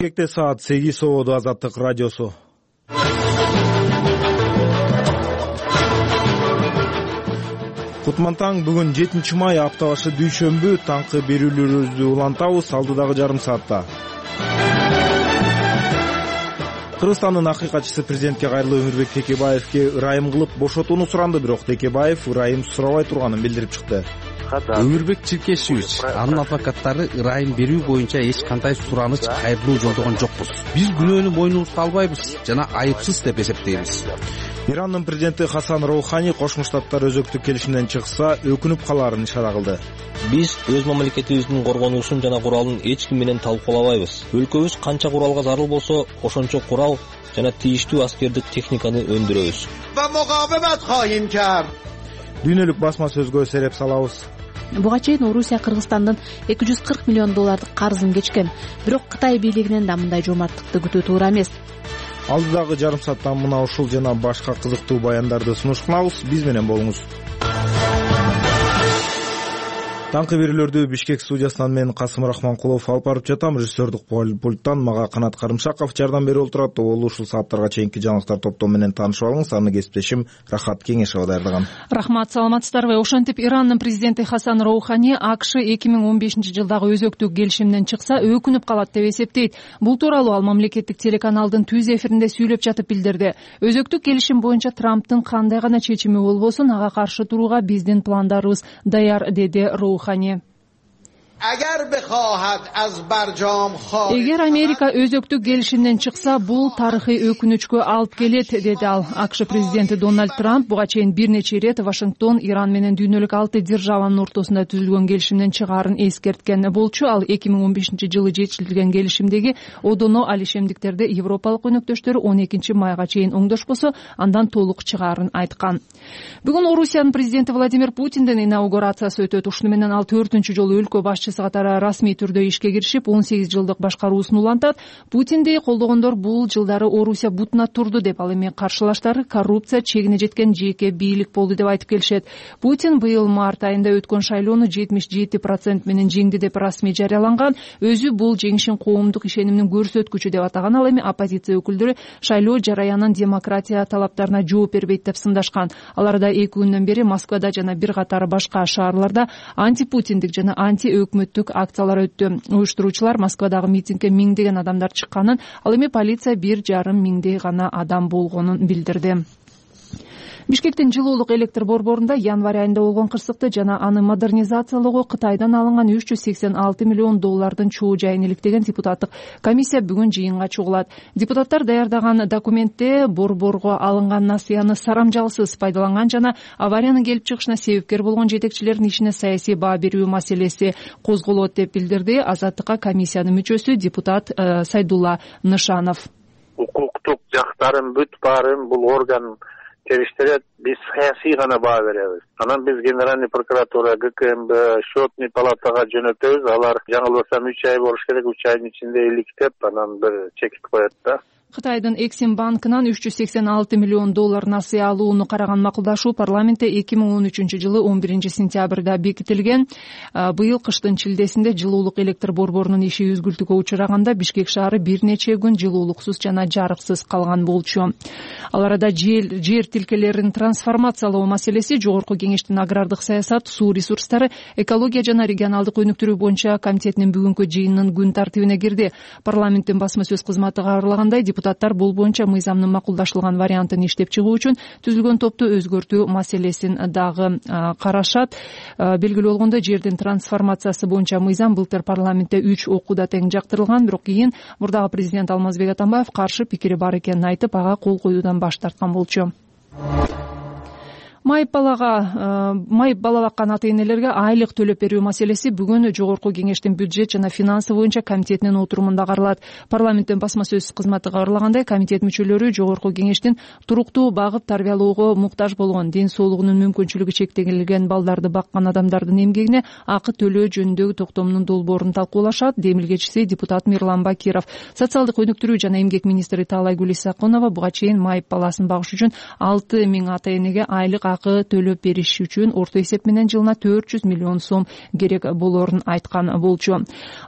Бишкекте саат 8 болду. Азаттык радиосу. Кутман таң, бүгүн 7 май, апта башы дүйшөмбү. Таңкы берүүлөрүбүздү улантабыз алдыдагы жарым саатта. Кыргызстандын акыйкатчысы президентке кайрылуу Өмүрбек Текебаевке ырайым кылып бошотууну суранды, бирок Текебаев ырайым сурабай турганын билдирип чыкты. Өмүрбек Чиркешевич, анын адвокаттары ырайым берүү боюнча эч кандай сураныч, кайрылуу жолдогон жокпуз. Биз күнөөнү мойнубузга албайбыз жана айыпсыз деп эсептейбиз. Ирандын президенти Хасан Роухани Кошмо Штаттар өзөктүк келишимден чыкса, өкүнүп калаарын ишара кылды. Биз өз мамлекетибиздин коргонуусун жана куралын эч ким менен талкуулабайбыз. Өлкөбүз канча куралга зарыл болсо, ошончо курал жана тийиштүү аскердик техниканы өндүрөбүз. Дүйнөлүк басма сөзгө сереп салабыз. Буга чейин Орусия Кыргызстандын $240 миллион карызын кечкен. Бирок Кытай бийлигинен да мындай жомарттыкты күтүү туура эмес. Алдыдагы жарым сааттан мына ушул жана башка кызыктуу баяндарды сунуштабыз. Биз менен болуңуз. Таңкы берүүлөрдү Бишкек студиясынан мен Касым Рахманкулов алып барып жатам. Режиссердик пульттан мага Канат Карымшаков жардам берип отурат. Ол ушул сааттарга чейинки жаңылыктар топтому менен таанышып алыңыз. Аны кесиптешим Рахат Кеңешова даярдаган. Рахмат, саламатсыздарбы? Ошентип Ирандын президенти Хасан Роухани АКШ 2015 жылдагы өзөктүк келишимден чыкса, өкүнүп калат деп эсептейт. Бул тууралуу ал мамлекеттик телеканалдын түз эфиринде сүйлөп жатып билдирди. Өзөктүк келишим боюнча Трамптын кандай гана чечими болбосун, ага каршы турууга биздин пландарыбыз даяр, деди Роухани. Эгер Америка өзөктүк келишимден чыкса, бул тарыхый өкүнүчкө алып келет, деди ал. АКШ президенти Дональд Трамп буга чейин бир нече ирет Вашингтон Иран менен дүйнөлүк 6 державанын ортосунда түзүлгөн келишимден чыгаарын эскерткен болчу. Ал 2015 жылы жетишилген келишимдеги одоно алишемдиктерди европалык өнөктөштөрү 12 майга чейин оңдошпосо, андан толук чыгаарын айткан. Бүгүн Орусиянын президенти Владимир Путиндин инаугурациясы өтөт. Ушуну менен ал 4-чү жолу өлкө башчысы катары расмий түрдө ишке киришип, 18 жылдык башкаруусун улантат. Путинди колдогондор бул жылдары Орусия бутуна турду деп, ал эми каршылаштары коррупция чегине жеткен жеке бийлик болду деп айтып келишет. Путин быйыл март айында өткөн шайлоону 77% менен жеңди деп расмий жарыяланган. Өзү бул жеңишин коомдук ишенимдин көрсөткүчү деп атаган. Ал эми оппозиция өкүлдөрү шайлоо жараянын демократия талаптарына жооп бербейт деп сындашкан. Аларда 2 күндөн бери Москвада жана бир катар башка шаарларда антипутиндик жана антиөкмөттүк акциялар өттү. Уюштуруучулар Москвадагы митингге миңдеген адамдар чыкканын, ал эми полиция 1,5 миңдей гана адам болгонун билдирди. Бишкектин жылуулук электр борборунда январь айында болгон кырсыкты жана аны модернизациялоого Кытайдан алынган $386 миллион чоо жайын иликтеген депутаттык комиссия бүгүн жыйынга чогулат. Депутаттар даярдаган документте борборго алынган насыяны сарамжалсыз пайдаланган жана авариянын келип чыгышына себепкер болгон жетекчилердин ишине саясий баа берүү маселеси козголот деп билдирди Азаттыкка комиссиянын мүчөсү депутат Сайдулла Нышанов. Укуктук жактарын бүт баарын бул орган териштирет, биз саясий гана баа беребиз. Анан биз Генеральный прокуратура, ГКМБ, Счетный палатага жөнөтөбүз. Алар жаңылбасам 3 ай болуш керек, 3 айдын ичинде иликтеп, анан бир чекит коет да. Кытайдын Эксим банкынан $386 миллион насыя алууну караган макулдашуу парламентте 2013 жылы 11 сентябрда бекитилген. Быйыл кыштын чилдесинде жылуулук электр борборунун иши үзгүлтүккө учураганда Бишкек шаары бир нече күн жылуулуксуз жана жарыксыз калган болчу. Ал арада жер тилкелерин трансформациялоо маселеси Жогорку кеңештин агрардык саясат, суу ресурстары, экология жана регионалдык өнүктүрүү боюнча комитетинин бүгүнкү жыйынынын күн тартибине кирди. Парламенттин басма сөз кызматы кабарлагандай, депутаттар бул боюнча мыйзамдын макулдашылган вариантын иштеп чыгуу үчүн түзүлгөн топту өзгөртүү маселесин дагы карашат. Белгилүү болгондой, жердин трансформациясы боюнча мыйзам былтыр парламентте 3 окууда тең жактырылган, бирок кийин мурдагы президент Алмазбек Атамбаев каршы пикири бар экенин айтып, ага кол коюудан баш тарткан болчу. Майып бала баккан ата-энелерге айлык төлөп берүү маселеси бүгүн Жогорку кеңештин бюджет жана финансы боюнча комитетинин отурумунда каралат. Парламенттин басма сөз кызматы кабарлагандай, комитет мүчөлөрү Жогорку кеңештин туруктуу багып тарбиялоого муктаж болгон, ден соолугунун мүмкүнчүлүгү чектелген балдарды баккан адамдардын эмгегине акы төлөө жөнүндөгү токтомдун долбоорун талкуулашат. Демилгечиси депутат Мирлан Бакиров. Социалдык өнүктүрүү жана эмгек министри Таалайгүл Исакунова буга чейин майып баласын багыш үчүн 6 000 ата-энеге айлык акы төлөп бериш үчүн орто эсеп менен жылына 400 миллион сом керек болорун айткан болчу.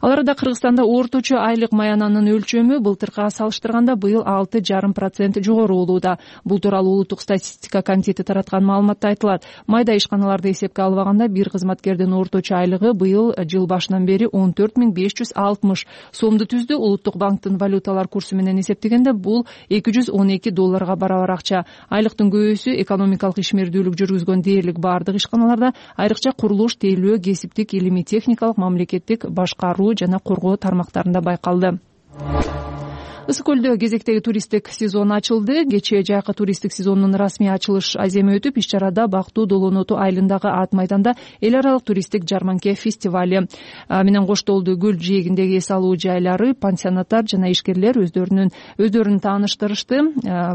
Ал арада Кыргызстанда орточо айлык маянанын өлчөмү былтыркыга салыштырганда быйыл 6,5% жогору болууда. Бул тууралуу Улуттук статистика комитети тараткан маалыматта айтылат. Майда ишканаларды эсепке албаганда бир кызматкердин орточо айлыгы быйыл жыл башынан бери 14,560 сомду түздү. Улуттук банктын валюталар курсу менен эсептегенде бул $212 барабар акча. Айлыктын көбөсү экономикалык ишмердүүлүк жүргүзгөн дээрлик бардык ишканаларда, айрыкча курулуш, тейлөө, кесиптик, илимий техникалык, мамлекеттик башкаруу жана коргоо тармактарында байкалды. Ысык көлдө кезектеги туристтик сезон ачылды. Кечээ жайкы туристтик сезондун расмий ачылыш аземи өтүп, иш-чарада Бактуу Долоноту айылындагы Ат майданда эл аралык туристтик жарманке фестивали менен коштолду. Көл жээгиндеги эс алуу жайлары, пансионаттар жана ишкерлер өздөрүн тааныштырышты.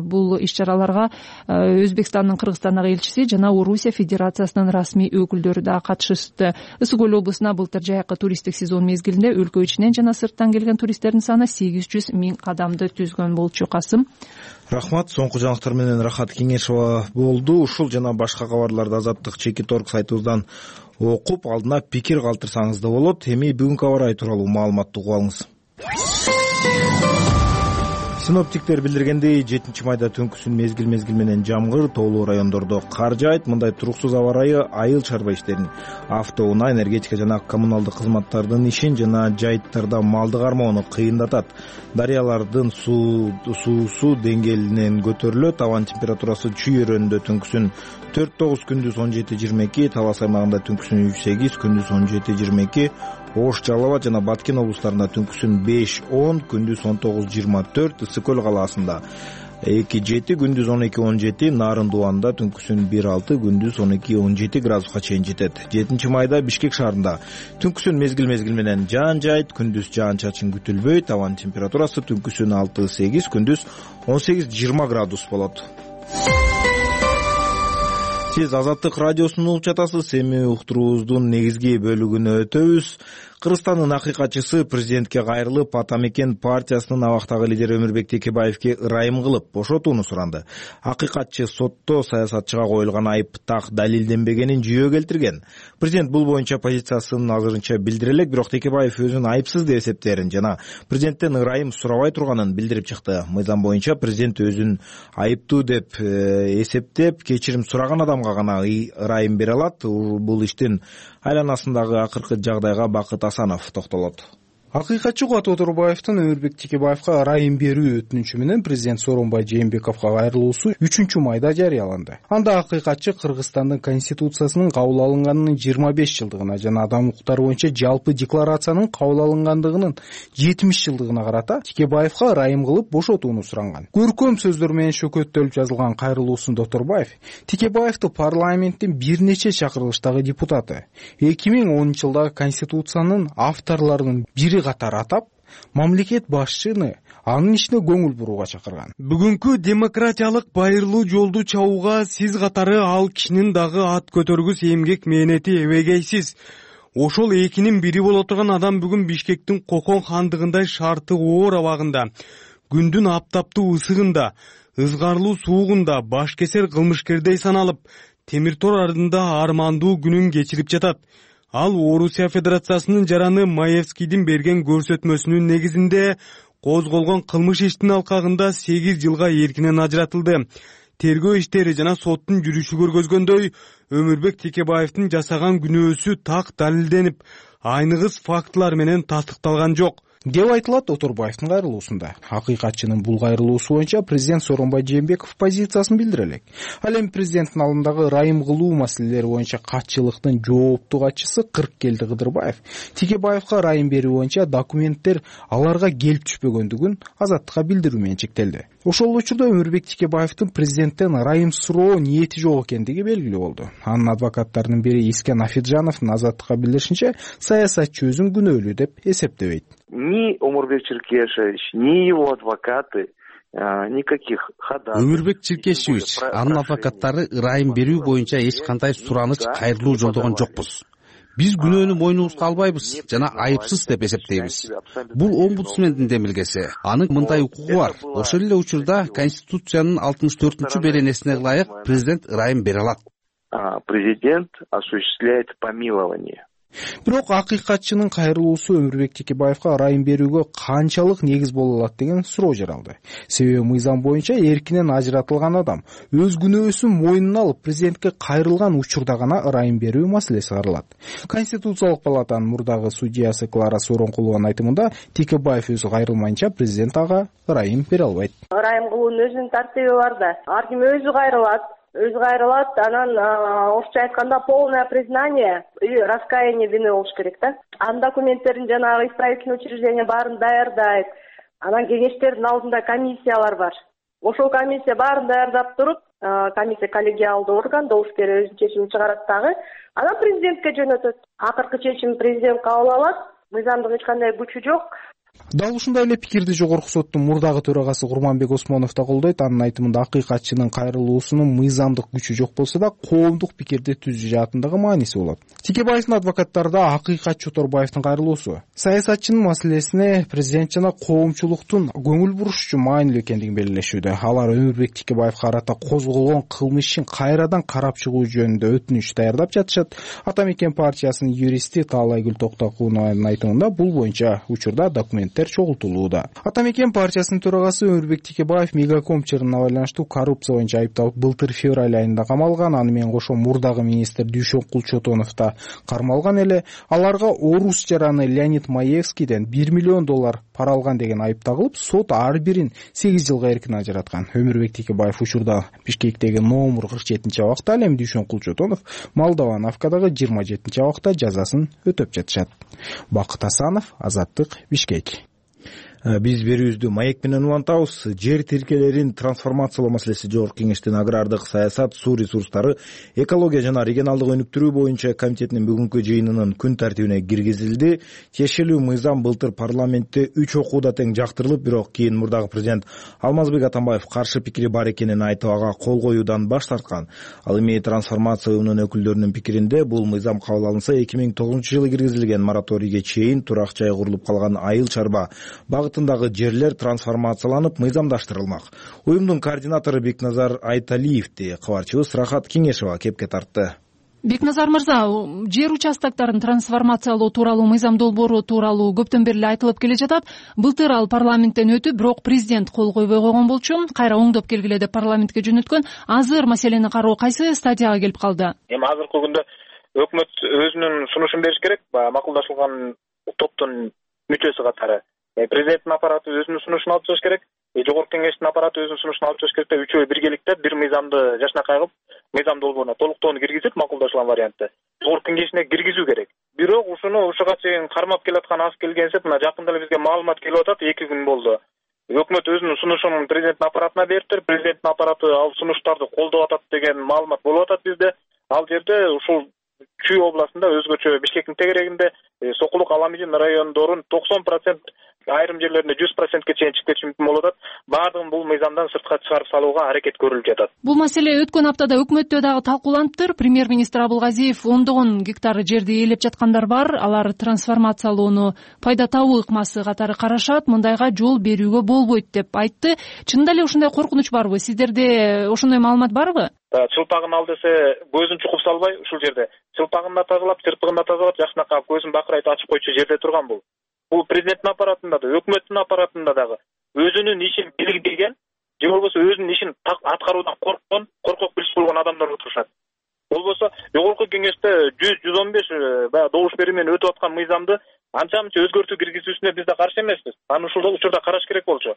Бул иш-чараларга Өзбекстандын Кыргызстандагы элчиси жана Орусия Федерациясынын расмий өкүлдөрү да катышты. Ысык көл облусуна былтыр жайкы туристтик сезон мезгилинде өлкө ичинен жана сырттан келген туристтердин саны 800 миң адамды түзгөн болчу. Касым. Рахмат. Соңку жаңылыктар менен Рахат Кеңешова болду. Ушул жана башка кабарларды Азаттык Чекит.орг сайтыбыздан окуп, алдына пикир калтырсаңыз да болот. Эми бүгүнкү аба ырайы тууралуу маалыматты угуп алыңыз. Синоптиктер билдиргендей, 7-майда түнкүсүн мезгил менен жамгыр, тоолуу райондордо кар жаайт. Мындай туруксуз аба ырайы айыл чарба иштерин, автоунаа, энергетика жана коммуналдык кызматтардын ишин жана жайыттарда малды кармоону кыйындатат. Дарыялардын суусу деңгээлинен көтөрүлөт. Абанын температурасы Чүй өрөөнүндө түнкүсүн 4-9, күндүз 17-22, Талас аймагында түнкүсүн 3-8, күндүз 17-22, Ош, Жалал Абад жана Баткен облустарында түнкүсүн 5-10, күндүз 19-24, Ысык көл калаасында 2-7, күндүз 12-17, Нарын Дуанда түнкүсүн 1-6, күндүз 12-17 градуска чейин жетет. 7-майда Бишкек шаарында түнкүсүн мезгил менен жаан жаайт, күндүз жаан-чачын күтүлбөйт. Абанын температурасы түнкүсүн 6-8, күндүз 18-20 градус болот. Сиз Азаттык радиосун угуп жатасыз. Эми уктуруубуздун негизги бөлүгүнө өтөбүз. Кыргызстандын акыйкатчысы президентке кайрылып, Ата Мекен партиясынын абактагы лидери Өмүрбек Текебаевке ырайым кылып бошотууну суранды. Акыйкатчы сотто саясатчыга коюлган айып так далилденбегенин жүйө келтирген. Президент бул боюнча позициясын азырынча билдире элек, бирок Текебаев өзүн айыпсыз деп эсептээрин жана президенттен ырайым сурабай турганын билдирип чыкты. Мыйзам боюнча президент өзүн айыптуу деп эсептеп, кечирим сураган адамга гана ырайым бере алат. Бул иштин айланасындагы акыркы жагдайга Бакыт Асанов токтолот. Акыйкатчы Кубат Оторбаевдин Өмүрбек Текебаевга ырайым берүү өтүнүчү менен президент Сооронбай Жээнбековго кайрылуусу 3-майда жарыяланды. Анда акыйкатчы Кыргызстандын конституциясынын кабыл алынганынын 25 жылдыгына жана адам укуктары боюнча жалпы декларациянын кабыл алынгандыгынын 70 жылдыгына карата Текебаевга ырайым кылып бошотууну суранган. Көркөм сөздөр менен шөкөттөлүп жазылган кайрылуусунда Оторбаев Текебаевди парламенттин бир нече чакырылыштагы депутаты, 2010 жылдагы конституциянын авторлорунун бири катары атап, мамлекет башчыны анын ишине көңүл бурууга чакырган. Бүгүнкү демократиялык байырлуу жолду чабууга сиз катары ал кишинин дагы ат көтөргүс эмгек мээнети эбегейсиз. Ошол экинин бири боло турган адам бүгүн Бишкектин Кокон хандыгындай шарты оор абагында, күндүн аптаптуу ысыгында, ызгарлуу суугунда баш кесер кылмышкердей саналып, темир тор ардында армандуу күнүн кечирип жатат. Ал Орусия Федерациясынын жараны Маевскийдин берген көрсөтмөсүнүн негизинде козголгон кылмыш иштин алкагында 8 жылга эркинен ажыратылды. Тергөө иштери жана соттун жүрүшү көргөзгөндөй, Өмүрбек Текебаевдин жасаган күнөөсү так далилденип, айныгыс фактылар менен тастыкталган жок деп айтылат Оторбаевдин кайрылуусунда. Акыйкатчынын бул кайрылуусу боюнча президент Сооронбай Жээнбеков позициясын билдире элек. Ал эми президенттин алдындагы ырайым кылуу маселелери боюнча катчылыктын жооптуу катчысы Кырккелди Кыдырбаев Текебаевга ырайым берүү боюнча документтер аларга келип түшпөгөндүгүн Азаттыкка билдирүү менен чектелди. Ошол учурда Өмүрбек Текебаевдин президенттен ырайым суроо ниети жок экендиги белгилүү болду. Анын адвокаттарынын бири Искен Афиджановдун Азаттыкка билдиришинче, саясатчы өзүн күнөөлүү деп эсептебейт. Ни Омурбек Черкешевич, ни его адвокаты никаких ходатайств. Өмүрбек Черкешевич, анын адвокаттары ырайым берүү боюнча эч кандай сураныч, кайрылуу жолдогон жокпуз. Биз күнөөнү мойнубузга албайбыз жана айыпсыз деп эсептейбиз. Бул омбудсмендин демилгеси. Анын мындай укугу бар. Ошол эле учурда Конституциянын 64-беренесине ылайык президент ырайым бере алат. президент осуществляет помилование. Бирок акыйкатчынын кайрылуусу Өмүрбек Текебаевка ырайым берүүгө канчалык негиз боло алат деген суроо жаралды. Себеби мыйзам боюнча эркинен ажыратылган адам өз күнөөсүн мойнуна алып президентке кайрылган учурда гана ырайым берүү маселеси каралат. Конституциялык палатанын мурдагы судьясы Клара Сооронкулованын айтымында Текебаев өзү кайрылмайынча президент ага ырайым бере албайт. Ырайым кылуунун өзүнүн тартиби бар да. Ар ким өзү кайрылат, анан орусча айтканда полное признание и раскаяние вины болуш керек да. Анын документтерин жанагы исправительный учреждение баарын даярдайт. Анан кеңештердин алдында комиссиялар бар. Ошол комиссия баарын даярдап туруп, комиссия коллегиалдуу орган, добуш берип өзүнүн чечимин чыгарат дагы. Анан президентке жөнөтөт. Акыркы чечимди президент кабыл алат. Мыйзамдык эч кандай күчү жок. Дал ушундай эле пикирди Жогорку соттун мурдагы төрагасы Курманбек Осмонов да колдойт. Анын айтымында акыйкатчынын кайрылуусунун мыйзамдык күчү жок болсо да коомдук пикирди түзүү жаатындагы мааниси болот. Текебаевдин адвокаттары да акыйкатчы Оторбаевдин кайрылуусу саясатчынын маселесине президент жана коомчулуктун көңүл буруш үчүн маанилүү экендигин белгилешүүдө. Алар Өмүрбек Текебаевга карата козголгон кылмыш ишин кайрадан карап чыгуу жөнүндө өтүнүч даярдап жатышат. Ата Мекен партиясынын юристи Таалайгүл Токтокунованын айтымында бул боюнча учурда документтер чогултулууда. Ата Мекен партиясынын төрагасы Өмүрбек Текебаев Мегаком чырына байланыштуу коррупция боюнча айыпталып былтыр февраль айында камалган. Аны менен кошо мурдагы министр Дүйшөнкул Чотонов да кармалган эле. Аларга орус жараны Леонид Маевскийден $1 миллион пара алган деген айып тагылып, сот ар бирин 8 жылга эркин ажыраткан. Өмүрбек Текебаев учурда Бишкектеги номер 47-абакта, ал эми Дүйшөнкул Чотонов Молдовановкадагы 27-абакта жазасын өтөп жатышат. Бакыт Асанов, Азаттык, Бишкек. Биз берүүбүздү маек менен улантабыз. Жер тилкелерин трансформациялоо маселеси Жогорку Кеңештин агрардык саясат, суу ресурстары, экология жана регионалдык өнүктүрүү боюнча комитетинин бүгүнкү жыйынынын күн тартибине киргизилди. Тиешелүү мыйзам былтыр парламентте 3 окууда тең жактырылып, бирок кийин мурдагы президент Алмазбек Атамбаев каршы пикири бар экенин айтып, ага кол коюудан баш тарткан. Ал эми трансформация уюмунун өкүлдөрүнүн пикиринде бул мыйзам кабыл алынса 2009-жылы киргизилген мораторийге чейин турак жай курулуп калган айыл чарба багытындагы жерлер трансформацияланып мыйзамдаштырылмак. Уюмдун координатору Бекназар Айталиевди кабарчыбыз Рахат Кеңешова кепке тартты. Бекназар мырза, жер участоктарын трансформациялоо тууралуу мыйзам долбоору тууралуу көптөн бери айтылып келе жатат. Былтыр ал парламенттен өтүп, бирок президент кол койбой койгон болчу. Кайра оңдоп келгиле деп парламентке жөнөткөн. Азыр маселени кароо кайсы стадияга келип калды? Эми азыркы күндө өкмөт өзүнүн сунушун бериш керек. Макулдашылган топтун мүчөсү катары президенттин аппараты өзүнүн сунушун алып чыгыш керек. Жогорку Кеңештин аппараты өзүнүн сунушун алып чыгыш керек деп үчөө биргеликте бир мыйзамды жашнакай кылып, мыйзам долбооруна толуктоону киргизип, макулдашылган вариантты Жогорку Кеңешине киргизүү керек. Бирок ушуга чейин кармап келаткан аз келгенсип, мына жакында эле бизге маалымат келип атат, 2 күн болду. Өкмөт өзүнүн сунушун президенттин аппаратына бериптир. Президенттин аппараты ал сунуштарды колдоп атат деген маалымат болуп атат бизде. Ал жерде ушул Чүй областында өзгөчө Бишкектин тегерегинде Сокулук Аламижин райондорун 90%, айрым жерлеринде 100%ке чейин чыгып кетиши мүмкүн болуп атат. Баардыгын бул мыйзамдан сыртка чыгарып салууга аракет көрүлүп жатат. Бул маселе өткөн аптада өкмөттө дагы талкууланыптыр. Премьер-министр Абылгазиев ондогон гектар жерди ээлеп жаткандар бар. Алар трансформациялоону пайда табуу ыкмасы катары карашат. Мындайга жол берүүгө болбойт деп айтты. Чынында эле ушундай коркунуч барбы? Сиздерде ошондой маалымат барбы? Чылпагын ал десе көзүн чукуп салбай, ушул жерде чылпагын да тазалап, чырпыгын да тазалап, жакшынакай көзүн бакырайт ачып койчу жерде турган бул. Бул президенттин аппаратында да, өкмөттүн аппаратында дагы өзүнүн ишин билген, же болбосо өзүнүн ишин аткаруудан коркок билип койгон адамдар отурушат. Болбосо Жогорку Кеңеште 100-115 баягы добуш берүү менен өтүп аткан мыйзамды анча-мынча өзгөртүү киргизүүсүнө биз да каршы эмеспиз. Аны ушул учурда караш керек болчу.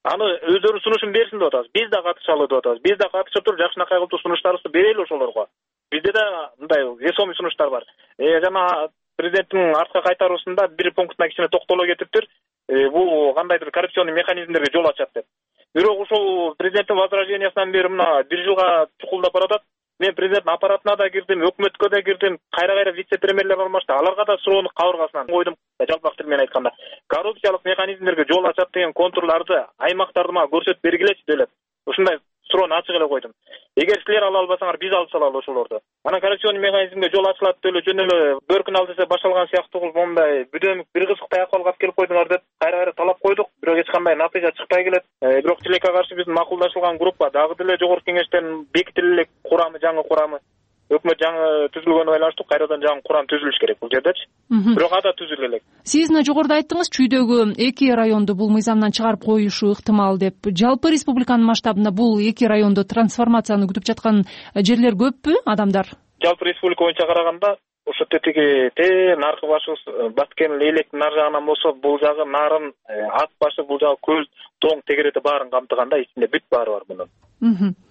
Аны өздөрү сунушун берсин деп атабыз. Биз да катышалы деп атабыз. Биз да катышып туруп жакшынакай кылып сунуштарыбызды берели ошолорго. Бизде да мындай весомый сунуштар бар. Жана президенттин артка кайтаруусунда бир пунктуна кичине токтоло кетиптир. Бул кандайдыр коррупционный механизмдерге жол ачат деп. Бирок ушул президенттин возражениясынан бери мына 1 жылга чукулдап баратат. Мен президенттин аппаратына да кирдим, өкмөткө да кирдим, кайра вице-премьерлер алмашты. Аларга да суроону кабыргасынан койдум. Жалпак тил менен айтканда, коррупциялык механизмдерге жол ачат деген контурларды, аймактарды мага көрсөтүп бергилечи деп ушундай суроону ачык эле койдум. Эгер силер ала албасаңар, биз алып салалы ошолорду. Анан коррупционный механизмге жол ачылат деп эле жөн эле бөркүн ал десе башталган сыяктуу кылып мондай бүдөмүк бир кызык аякалга алып келип койдуңар деп кайра талап койдук. Бирок эч кандай натыйжа чыкпай келет. Бирок тилекке каршы биздин макулдашылган группа дагы деле Жогорку Кеңештен бекитиле элек курамы, жаңы курамы. өкмөт жаңы түзүлгөнүнө байланыштуу кайрадан жаңы курам түзүлүш керек бул жердечи. Бирок ада түзүлө элек. Сиз мына жогоруда айттыңыз, чүйдөгү 2 районду бул мыйзамдан чыгарып коюшу ыктымал деп. Жалпы республиканын масштабында бул 2 райондо трансформацияны күтүп жаткан жерлер көппү адамдар? Жалпы республика боюнча караганда ошо тетиги наркы башыбыз Баткен Электин нар жагынан болсо, бул жагы нарын, ат башы, бул жагы көл, тоң, тегерети баарын камтыганда ичинде бүт баары бар мунун.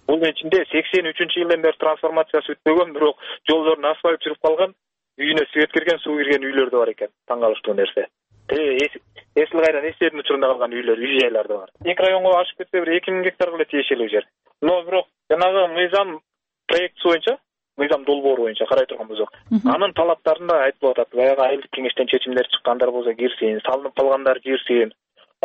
Бунун ичинде 83-жылдан бери трансформациясы бүтпөгөн, бирок жолдорун асфальт жүрүп калган, үйүнө свет кирген, суу кирген үйлөр да бар экен. Таң калыштуу нерсе. Эсил кайран эстердин учурунда калган үйлөр, үй жайлар да бар. 2 районго ашып кетсе бир 2000 гектарга эле тиешелүү жер. Но бирок жанагы мыйзам проектиси боюнча, мыйзам долбоору боюнча карай турган болсок, анын талаптарында айтылып атат. Баягы айылдык кеңештен чечимдер чыккандар болсо кирсин, салынып калгандар кирсин.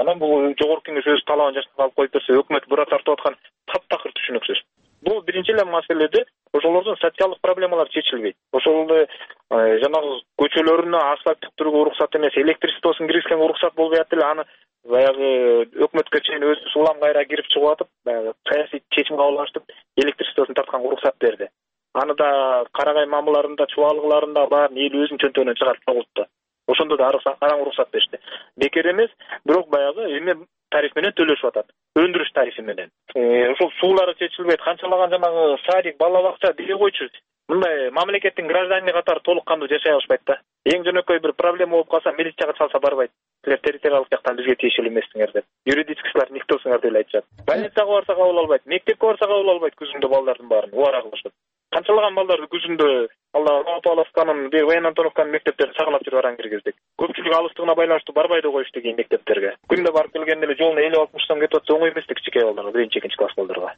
Анан бул жогорку кеңеш өз талабын жашап алып коюп берсе, өкмөт бура тартып аткан таптакыр түшүнүксүз. Бул биринчи эле маселеде ошолордун социалдык проблемалары чечилбейт. Ошолду жанагы көчөлөрүнө асфальт тиктирүүгө уруксат эмес, электричествосун киргизгенге уруксат болбой атты эле, аны баягы өкмөткө чейин өзү улам кайра кирип чыгып атып, баягы саясий чечим кабыл алыштып, электричествосун тартканга уруксат берди. Аны да Карагай мамыларында, чубалыкларында баарын эл өзүнүн чөнтөгүнөн чыгарып чогултту. Ошондо да араң уруксат беришти. Бекер эмес, бирок баягы эме тариф менен төлөшүп атат. Өндүрүш тарифи менен. Ошол суулары чечилбейт. Канчалаган жанагы садик, бала бакча дей койчу. Мындай мамлекеттин граждани катары толук кандуу жашай алышпайт да. Эң жөнөкөй бир проблема болуп калса, милицияга чалса барбайт. Силер территориалдык жактан бизге тиешелүү эмессиңер деп. Юридическийлар никтосуңар деп айтышат. Больницага барса кабыл албайт, мектепке барса кабыл албайт, күзүндө балдардын баарын убара кылышат. Канчалаган балдарды күзүндө Новополовканын, Воен Антоновканын мектептерин сагалап жүрүп араң киргиздик. Көпчүлүк алыстыгына байланыштуу барбай да коюшту кийин мектептерге. Күндө барып келгенде эле жолуна 50-60 сом кетип атса, оңой эмес кичинекей балдарга, 1-2 класс балдарга.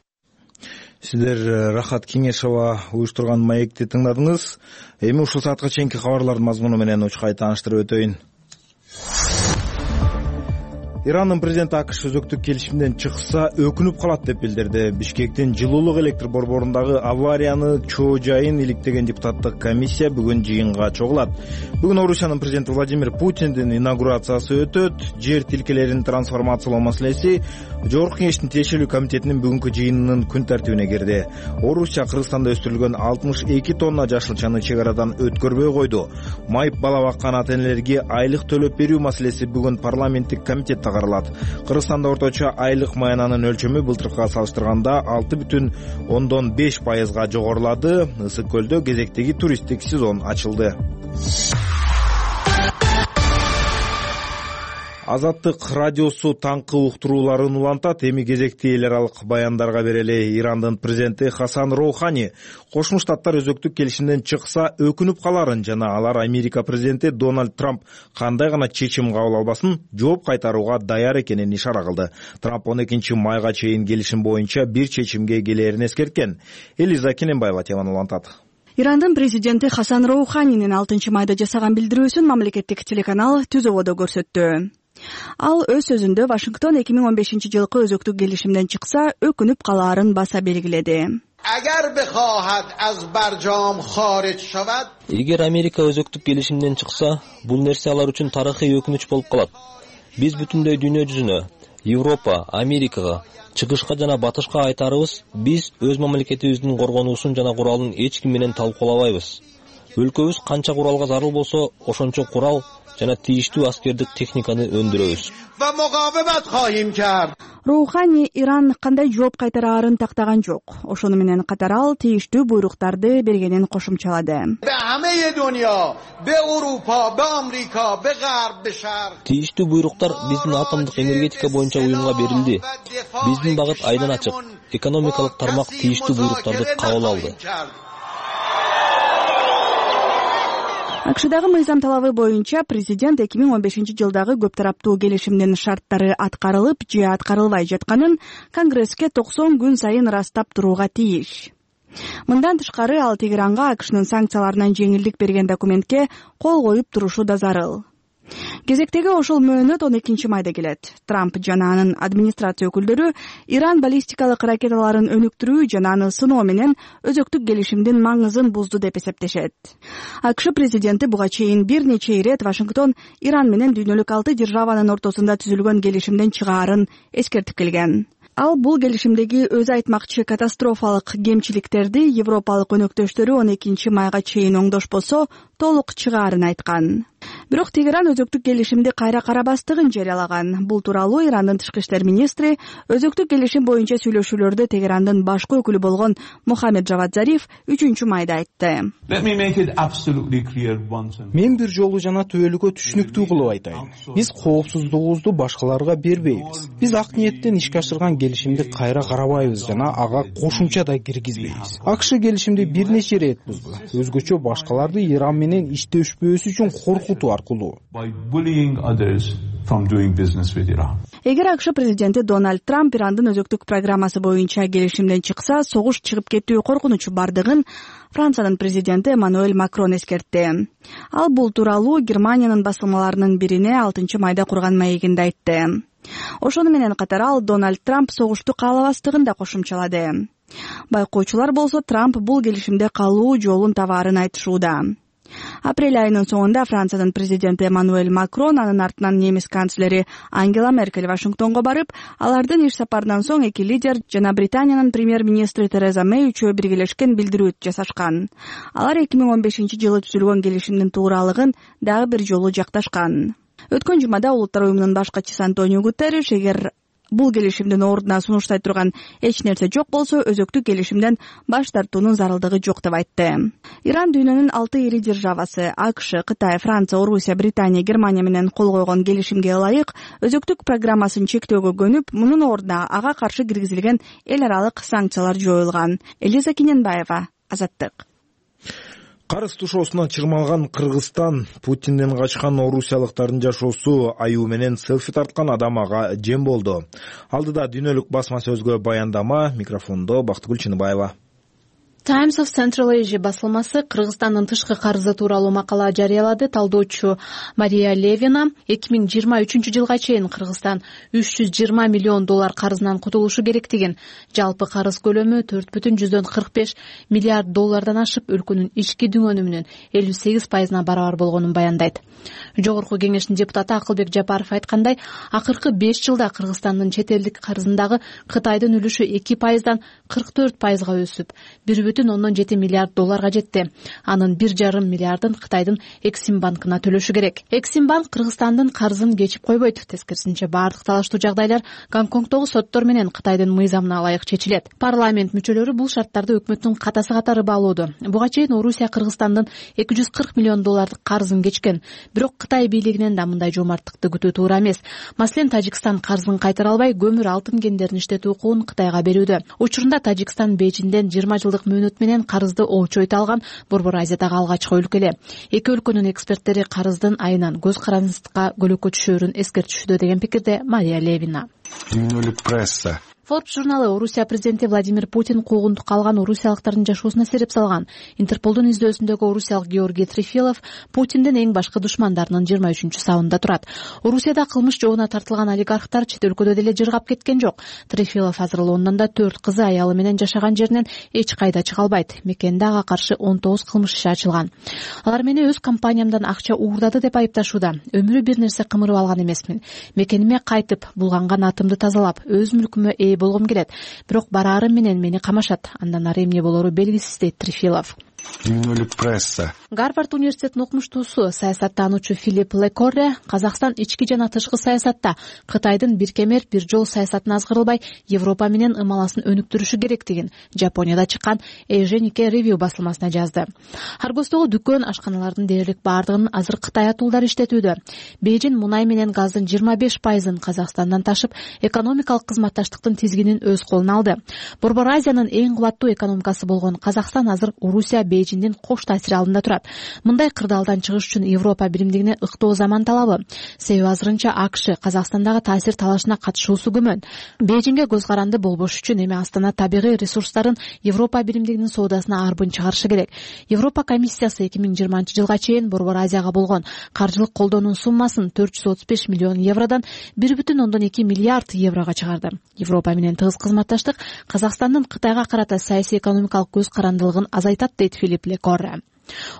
Сиздер Рахат Кеңешова уюштурган маекти тыңдадыңыз. Эми ушул саатка чейинки кабарлардын мазмуну менен учкай тааныштырып өтөйүн. Ирандын президенти АКШ өзөктүк келишимден чыкса өкүнүп калат деп билдирди. Бишкектин жылуулук электр борборундагы аварияны чоо жайын иликтеген депутаттык комиссия бүгүн жыйынга чогулат. Бүгүн Орусиянын президенти Владимир Путиндин инаугурациясы өтөт. Жер тилкелерин трансформациялоо маселеси Жогорку кеңештин тиешелүү комитетинин бүгүнкү жыйынынын күн тартибине кирди. Орусия Кыргызстанда өстүрүлгөн 62 тонна жашылчаны чек арадан өткөрбөй койду. Майып бала баккан ата-энелерге айлык төлөп берүү маселеси бүгүн парламенттик комитетте каралат. Кыргызстанда орточо айлык маянанын өлчөмү былтыркыга салыштырганда 6,5% жогорулады. Ысык көлдө кезектеги туристтик сезон ачылды. Азаттык радиосу таңкы уктурууларын улантат. Эми кезекти эл аралык баяндарга берели. Ирандын президенти Хасан Роухани Кошмо Штаттар өзөктүк келишимден чыкса өкүнүп каларын жана алар Америка президенти Дональд Трамп кандай гана чечим кабыл албасын жооп кайтарууга даяр экенин ишара кылды. Трамп 12 майга чейин келишим боюнча бир чечимге келээрин эскерткен. Элиза Кененбаева теманы улантат. Ирандын президенти Хасан Роуханинин 6 майда жасаган билдирүүсүн мамлекеттик телеканал Түзөводо көрсөттү. Ал өз сөзүндө Вашингтон 2015 жылкы өзөктүк келишимден чыкса өкүнүп калаарын баса белгиледи. Эгер Америка өзөктүк келишимден чыкса, бул нерсе алар үчүн тарыхый өкүнүч болуп калат. Биз бүтүндөй дүйнө жүзүнө, Европа, Америкага, чыгышка жана батышка айтарыбыз, биз өз мамлекетибиздин коргонуусун жана куралын эч ким менен талкуулабайбыз. Өлкөбүз канча куралга зарыл болсо, ошончо курал жана тийиштүү аскердик техниканы өндүрөбүз. Роухани Иран кандай жооп кайтараарын тактаган жок. Ошону менен катар ал тийиштүү буйруктарды бергенин кошумчалады. Тийиштүү буйруктар биздин атомдук энергетика боюнча уюмга берилди. Биздин багыт айдан ачык. Экономикалык тармак тийиштүү буйруктарды кабыл алды. АКШдагы мыйзам талабы боюнча президент 2015 жылдагы көп тараптуу келишимдин шарттары аткарылып же аткарылбай жатканын Конгресске 90 күн сайын ырастап турууга тийиш. Мындан тышкары ал Тегеранга АКШнын санкцияларынан жеңилдик берген документке кол коюп турушу да зарыл. Кезектеги ошол мөөнөт 12 майда келет. Трамп жана анын администрация өкүлдөрү Иран баллистикалык ракеталарын өнүктүрүү жана аны сыноо менен өзөктүк келишимдин маңызын бузду деп эсептешет. АКШ президенти буга чейин бир нече ирет Вашингтон Иран менен дүйнөлүк 6 державанын ортосунда түзүлгөн келишимден чыгаарын эскертип келген. Ал бул келишимдеги өзү айтмакчы катастрофалык кемчиликтерди европалык өнөктөштөрү 12 майга чейин оңдошпосо толук чыгаарын айткан. Бирок Тегеран өзөктүк келишимди кайра карабастыгын жарыялаган. Бул тууралуу Ирандын тышкы иштер министри өзөктүк келишим боюнча сүйлөшүүлөрдө Тегерандын башкы өкүлү болгон Мухаммед Джавад Зариф 3-майда айтты. Мен бир жолу жана түбөлүккө түшүнүктүү кылып айтайын. Биз коопсуздугубузду башкаларга бербейбиз. Биз ак ниеттен ишке ашырган келишимди кайра карабайбыз жана ага кошумча да киргизбейбиз. АКШ келишимди бир нече ирет бузду. Өзгөчө башкаларды Иран менен иштешпөөсү үчүн коркутуу аркылуу. Эгер АКШ президенти Дональд Трамп Ирандын өзөктүк программасы боюнча келишимден чыкса, согуш чыгып кетүү коркунучу бардыгын Франциянын президенти Эммануэль Макрон эскертти. Ал бул тууралуу Германиянын басылмаларынын бирине 6-майда курган маегинде айтты. Ошону менен катар ал Дональд Трамп согушту каалабастыгын да кошумчалады. Байкоочулар болсо Трамп бул келишимде калуу жолун табаарын айтышууда. Апрель айынын соңунда Франциянын президенти Эммануэль Макрон, анын артынан немис канцлери Ангела Меркель Вашингтонго барып, алардын иш сапарынан соң эки лидер жана Британиянын премьер-министри Тереза Мэй үчөө биргелешкен билдирүү жасашкан. Алар 2015-жылы түзүлгөн келишимдин тууралыгын дагы бир жолу жакташкан. Өткөн жумада Улуттар уюмунун баш катчысы Антонио Гутерриш эгер бул келишимдин ордуна сунуштай турган эч нерсе жок болсо, өзөктүк келишимден баш тартуунун зарылдыгы жок деп айтты. Иран дүйнөнүн 6 ири державасы АКШ, Кытай, Франция, Орусия, Британия, Германия менен кол койгон келишимге ылайык өзөктүк программасын чектөөгө көнүп, мунун ордуна ага каршы киргизилген эл аралык санкциялар жоюлган. Элиза Киненбаева, Азаттык. Карыз тушоосуна чырмалган Кыргызстан, Путинден качкан орусиялыктардын жашоосу аюу менен селфи тарткан адам ага жем болду. Алдыда дүйнөлүк басма сөзгө баяндама, микрофондо Бактыгүл Чыныбаева. Times of Central Asia басылмасы Кыргызстандын тышкы карызы тууралуу макала жарыялады. Талдоочу Мария Левина 2023-жылга чейин Кыргызстан $320 миллион карызынан кутулушу керектигин, жалпы карыз көлөмү $4,45 миллиард ашып, өлкөнүн ички дүң өнүмүнүн 58%-на барабар болгонун баяндайт. Жогорку кеңештин депутаты Акылбек Жапаров айткандай, акыркы 5 жылда Кыргызстандын чет элдик карызындагы Кытайдын үлүшү 2%-дан 44%га өсүп, $1,7 миллиард жетти. Анын 1,5 миллиардын Кытайдын Эксим банкына төлөшү керек. Эксим банк Кыргызстандын карызын кечип койбойт. Тескерисинче бардык талаштуу жагдайлар Гонконгдогу соттор менен Кытайдын мыйзамына ылайык чечилет. Парламент мүчөлөрү бул шарттарды өкмөттүн катасы катары баалоодо. Буга чейин Орусия Кыргызстандын $240 миллион карызын кечкен. Бирок Кытай бийлигинен да мындай жоомарттыкты күтүү туура эмес. Маселен, Тажикстан карызын кайтара албай, көмүр алтын кендерин иштетүү укугун Кытайга берүүдө. Учурунда Тажикстан Бейжиңден 20 жылдык мөөнөт менен карызды очойто алган Борбор Азиядагы алгачкы өлкө эле. Эки өлкөнүн эксперттери карыздын айынан көз карандыкка көлөккө түшөөрүн эскертишүүдө деген пикирде Мария Левина. Дүйнөлүк пресса. Forbes журналы Орусия президенти Владимир Путин куугунтукка алган орусиялыктардын жашоосуна сереп салган. Интерполдун издөсүндөгү орусиялык Георгий Трифилов Путиндин эң башкы душмандарынын 23-сабында турат. Орусияда кылмыш жообуна тартылган олигархтар чет өлкөдө деле жыргап кеткен жок. Трифилов азыр Лондондо 4 кызы аялы менен жашаган жеринен эч кайда чыга албайт. Мекенде ага каршы 19 кылмыш иши ачылган. Алар мени өз компаниямдан акча уурдады деп айыпташууда. Өмүрү бир нерсе кымырып алган эмесмин. Мекениме кайтып, булганган атымды тазалап, өз мүлкүмө болгум келет. Бирок бараарым менен мени камашат. Андан ары эмне болору белгисиз, дейт Трифилов. Дүйнөлүк пресса. Гарвард университетинин окумуштуусу, саясаттануучу Филипп Лекорре Казакстан ички жана тышкы саясатта Кытайдын бир кемер бир жол саясатын азгырылбай, Европа менен ымаласын өнүктүрүшү керектигин Жапонияда чыккан Эйженике Ревью басылмасына жазды. Аргостогу дүкөн, ашканалардын дээрлик бардыгын азыр Кытай атуулдары иштетүүдө. Бейжин мунай менен газдын 25%-ын Казакстандан ташып, экономикалык кызматташтыктын тизгинин өз колуна алды. Борбор Азиянын эң кубаттуу экономикасы болгон Казакстан азыр Орусия Бейжиңдин кош таасири алдында турат. Мындай кырдаалдан чыгыш үчүн Европа биримдигине ыктоо заман талабы. Себеби азырынча АКШ Казакстандагы таасир талашына катышуусу күмөн. Бейжиңге көз каранды болбош үчүн эми Астана табигый ресурстарын Европа биримдигинин соодасына арбын чыгарышы керек. Европа комиссиясы 2020-жылга чейин Борбор Азияга болгон каржылык колдоонун суммасын €435 миллион $1,2 миллиард чыгарды. Европа менен тыгыз кызматташтык Казакстандын Кытайга карата саясий экономикалык көз карандылыгын азайтат дейт Филипп Лекорре.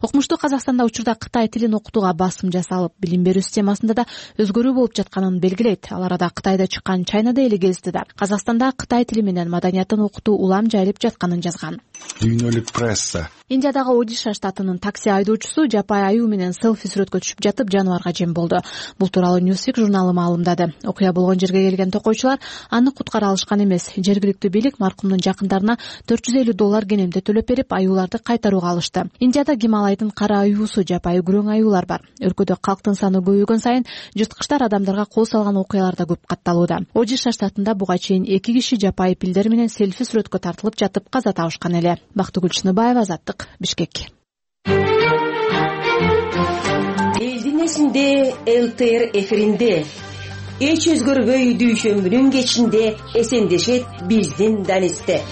Окумуштуу Казакстанда учурда Кытай тилин окутууга басым жасалып, билим берүү системасында да өзгөрүү болуп жатканын белгилейт. Ал арада Кытайда чыккан China Daily гезити да Казакстанда Кытай тили менен маданиятын окутуу улам жайылып жатканын жазган. Дүйнөлүк пресса. Индиядагы Одиша штатынын такси айдоочусу жапай аюу менен селфи сүрөткө түшүп жатып жаныбарга жем болду. Бул тууралуу Newsweek журналы маалымдады. Окуя болгон жерге келген токойчулар аны куткара алышкан эмес. Жергиликтүү бийлик маркумдун жакындарына $450 кенемде төлөп берип, аюуларды кайтарууга алышты. Индияда Гималайдын кара аюусу, жапай күрөң аюулар бар. Өлкөдө калктын саны көбөйгөн сайын жырткычтар адамдарга кол салган окуялар да көп катталууда. Одиша штатында буга чейин 2 киши жапай пилдер менен селфи сүрөткө тартылып жатып каза табышкан эле. Бактыгүл Чыныбаева, Азаттык, Бишкек. Элдин эсинде ЛТР эфиринде эч өзгөрбөй дүйшөмбүнүн кечинде эсендешет биздин Данисте.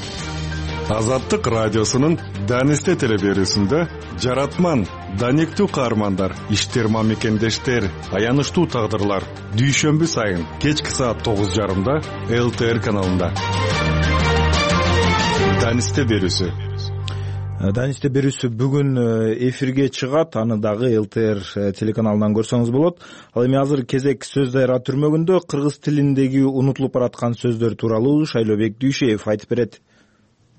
Азаттык радиосунун Данисте телеберүүсүндө жаратман, даниктүү каармандар, иштерма мекендештер, аянычтуу тагдырлар дүйшөмбү сайын кечки саат 9:30 ЛТР каналында. Данисте берүүсү. Данисте берүүсү бүгүн эфирге чыгат. Аны дагы ЛТР телеканалынан көрсөңүз болот. Ал эми азыр кезек сөз дайра түрмөгүндө кыргыз тилиндеги унутулуп бараткан сөздөр тууралуу Шайлообек Дүйшеев айтып берет.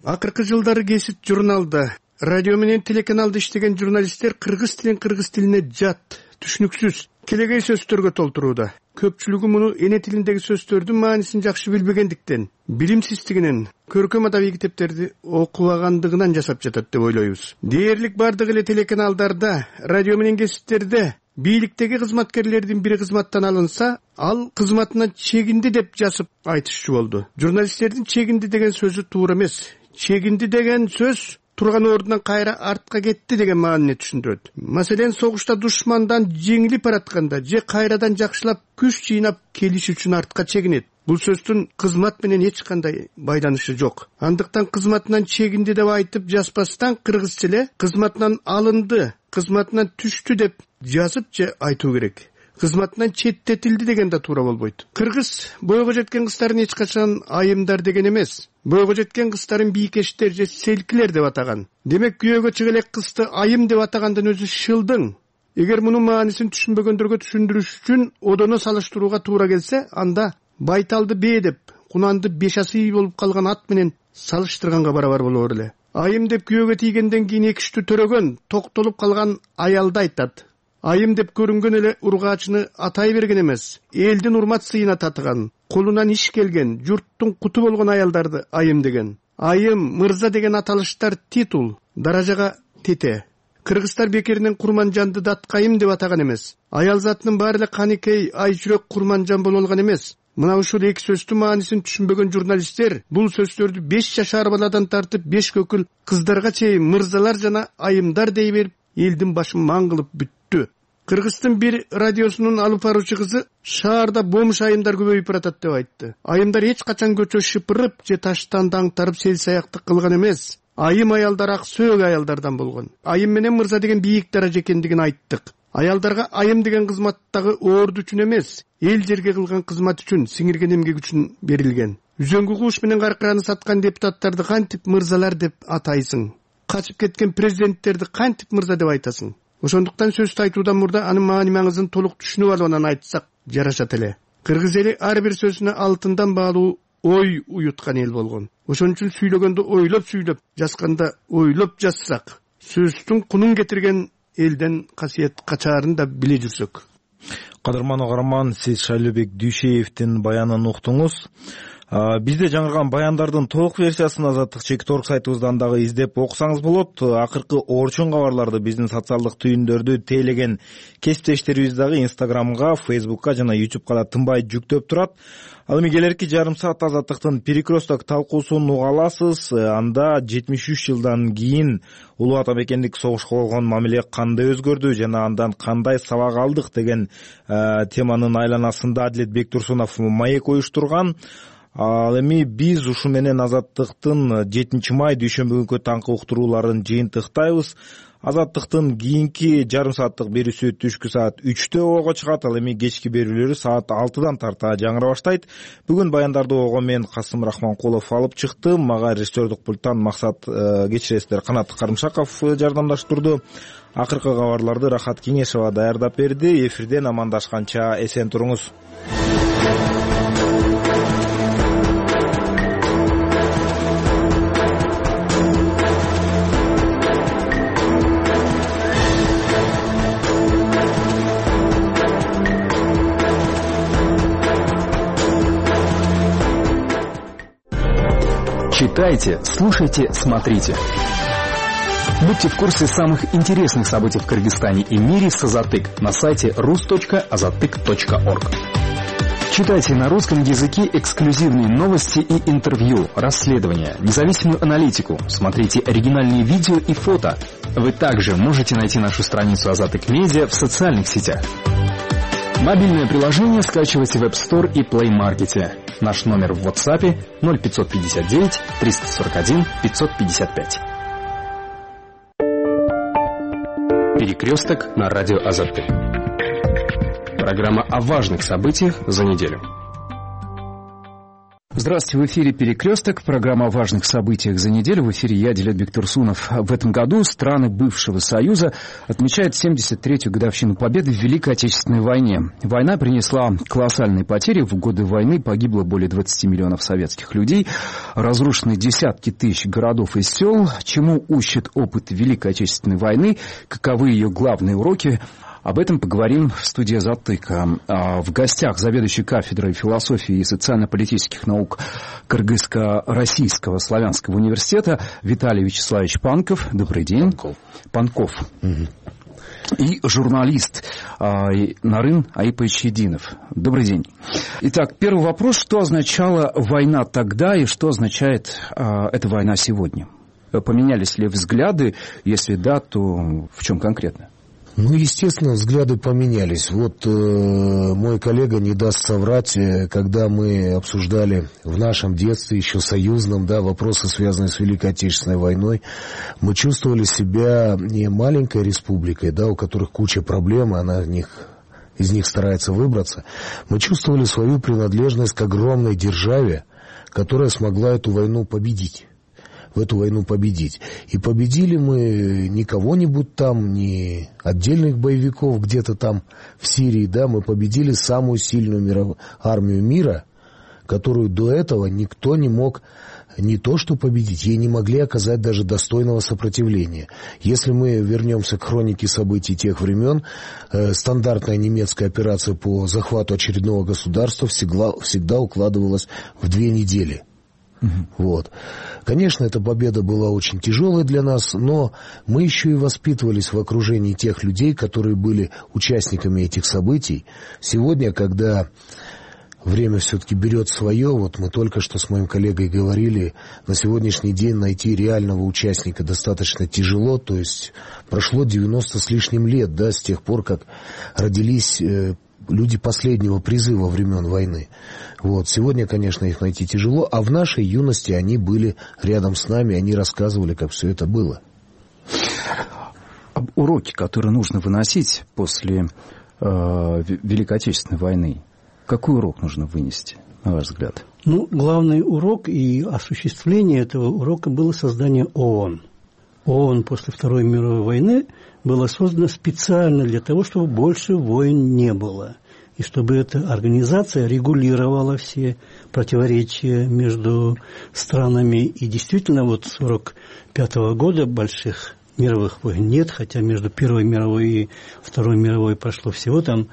Акыркы жылдары Кесип журналда, радио менен телеканалда иштеген журналисттер кыргыз тилине жат, түшүнүксүз, келегей сөздөргө толтурууда. Көпчүлүгү муну эне тилиндеги сөздөрдүн маанисин жакшы билбегендиктен, билимсиздигинен, көркөм адабий китептерди окубагандыгынан жасап жатат деп ойлойбуз. Дээрлик бардык эле телеканалдарда, радио менен кесиптерде бийликтеги кызматкерлердин бири кызматтан алынса, ал кызматынан чегинди деп жазып айтышчу болду. Журналисттердин чегинди деген сөзү туура эмес. Чегинди деген сөз турган ордунан кайра артка кетти деген маанини түшүндүрөт. Маселен, согушта душмандан жеңилип баратканда же кайрадан жакшылап күч жыйнап келиш үчүн артка чегинет. Бул сөздүн кызмат менен эч кандай байланышы жок. Андыктан кызматынан чегинди деп айтып жазбастан кыргызча эле кызматынан алынды, кызматынан түштү деп жазып же айтуу керек. Кызматынан четтетилди деген да туура болбойт. Кыргыз бойго жеткен кыздарын эч качан айымдар деген эмес. Бойго жеткен кыздарын бийкештер же селкилер деп атаган. Демек, күйөөгө чыга элек кызды айым деп атагандын өзү шылдың. Эгер мунун маанисин түшүнбөгөндөргө түшүндүрүш үчүн одоно салыштырууга туура келсе, анда байталды бээ деп, кунанды бешасый болуп калган ат менен салыштырганга барабар болор эле. Айым деп күйөөгө тийгенден кийин экиштүү төрөгөн, токтолуп калган аялды айтат. Айым деп көрүнгөн эле ургаачыны атай берген эмес, элдин урмат сыйына татыган, колунан иш келген, журттун куту болгон аялдарды айым деген. Айым, мырза деген аталыштар титул, даражага тете. Кыргыздар бекеринен Курманжанды даткайым деп атаган эмес. Аял затынын баары эле каникей, ай жүрөк Курманжан боло алган эмес. Мына ушул эки сөздүн маанисин түшүнбөгөн журналисттер бул сөздөрдү 5 жашар баладан тартып 5 көкүл кыздарга чейин мырзалар жана айымдар дей берип, элдин башын маң кылып бүттү. Кыргыздын бир радиосунун алып баруучу кызы шаарда бомж айымдар көбөйүп баратат деп айтты. Айымдар эч качан көчө шыпырып же таштан даңтарып сел саяктык кылган эмес. Айым аялдар ак сөөг аялдардан болгон. Айым менен мырза деген бийик даража экендигин айттык. Аялдарга айым деген кызматтагы орду үчүн эмес, эл жерге кылган кызмат үчүн, сиңирген эмгек үчүн берилген. Үзөңгү кууш менен каркыраны саткан депутаттарды кантип мырзалар деп атайсың? Качып кеткен президенттерди кантип мырза деп айтасың? Ошондуктан сөздү айтуудан мурда анын маани маңызын толук түшүнүп алып анан айтсак жарашат эле. Кыргыз эли ар бир сөзүнө алтындан баалуу ой уюткан эл болгон. Ошон үчүн сүйлөгөндө ойлоп сүйлөп, жазганда ойлоп жазсак, сөздүн кунун кетирген элден касиет качаарын да биле жүрсөк. Кадырман угарман, сиз Шайлообек Дүйшеевдин баянын уктуңуз. Бизде жаңырган баяндардын толук версиясын Азаттык Чекторг сайтыбыздан дагы издеп окусаңыз болот. Акыркы орчун кабарларды биздин социалдык түйүндөрдү тейлеген кесиптештерибиз дагы Instagramга, Facebookка жана YouTubeга да тынбай жүктөп турат. Ал эми келерки жарым саат Азаттыктын перекресток талкуусун уга аласыз. Анда 73 жылдан кийин улуу ата мекендик согушка болгон мамиле кандай өзгөрдү жана андан кандай сабак алдык деген теманын айланасында Адилет Бектурсунов маек уюштурган. Ал эми биз ушу менен Азаттыктын 7 май дүйшөмбү күнкү таңкы уктурууларын жыйынтыктайбыз. Азаттыктын кийинки жарым сааттык берүүсү түшкү саат 3-тө ого чыгат, ал эми кечки берүүлөрү саат 6-дан тарта жаңыра баштайт. Бүгүн баяндарды ого мен Касым Рахманкулов алып чыктым. Мага режиссердук пульттан Максат кечиресиздер Канат Карымшаков жардамдаштырды. Акыркы кабарларды Рахат Кеңешова даярдап берди. Эфирден амандашканча эсен туруңуз. Читайте, слушайте, смотрите. Будьте в курсе самых интересных событий в Кыргызстане и мире с Азатык на сайте rus.azatyk.org. Читайте на русском языке эксклюзивные новости и интервью, расследования, независимую аналитику. Смотрите оригинальные видео и фото. Вы также можете найти нашу страницу Азатык Медиа в социальных сетях. Мобильное приложение скачивайте в App Store и Play Market. Наш номер в WhatsApp 0559 341 555. Перекресток на радио Азатык. Программа о важных событиях за неделю. Здравствуйте, в эфире «Перекресток», программа о важных событиях за неделю. В эфире я, Дилет Турсунов. В этом году страны бывшего Союза отмечают 73-ю годовщину победы в Великой Отечественной войне. Война принесла колоссальные потери. В годы войны погибло более 20 миллионов советских людей, разрушены десятки тысяч городов и сел. Чему учит опыт Великой Отечественной войны? Каковы ее главные уроки? Об этом поговорим в студии Азатыка. В гостях заведующий кафедрой философии и социально-политических наук Кыргызско-Российского славянского университета Виталий Вячеславович Панков. Добрый день. Панков. И журналист Нарын Айпайчединов. Добрый день. Итак, первый вопрос. Что означала война тогда и что означает эта война сегодня? Поменялись ли взгляды? Если да, то в чем конкретно? Ну, естественно, взгляды поменялись. Вот мой коллега не даст соврать, когда мы обсуждали в нашем детстве, еще союзном, да, вопросы, связанные с Великой Отечественной войной, мы чувствовали себя не маленькой республикой, да, у которых куча проблем, она из них старается выбраться. Мы чувствовали свою принадлежность к огромной державе, которая смогла эту войну победить. В эту войну победить. И победили мы не кого-нибудь там, не отдельных боевиков где-то там в Сирии, да, мы победили самую сильную армию мира, которую до этого никто не мог не то что победить, ей не могли оказать даже достойного сопротивления. Если мы вернемся к хронике событий тех времен, стандартная немецкая операция по захвату очередного государства всегда укладывалась в 2 недели. Вот. Конечно, эта победа была очень тяжелой для нас, но мы еще и воспитывались в окружении тех людей, которые были участниками этих событий. Сегодня, когда время все-таки берет свое, вот мы только что с моим коллегой говорили, на сегодняшний день найти реального участника достаточно тяжело, то есть прошло 90 с лишним лет, да, с тех пор, как родились люди последнего призыва времен войны. Вот. Сегодня, конечно, их найти тяжело, а в нашей юности они были рядом с нами, они рассказывали, как все это было. Уроки, которые нужно выносить после Великой Отечественной войны, какой урок нужно вынести, на ваш взгляд? Ну, главный урок и осуществление этого урока было создание ООН. ООН после Второй мировой войны была создана специально для того, чтобы больше войн не было. И чтобы эта организация регулировала все противоречия между странами. И действительно, вот с 1945 года больших мировых войн нет, хотя между Первой мировой и Второй мировой прошло всего там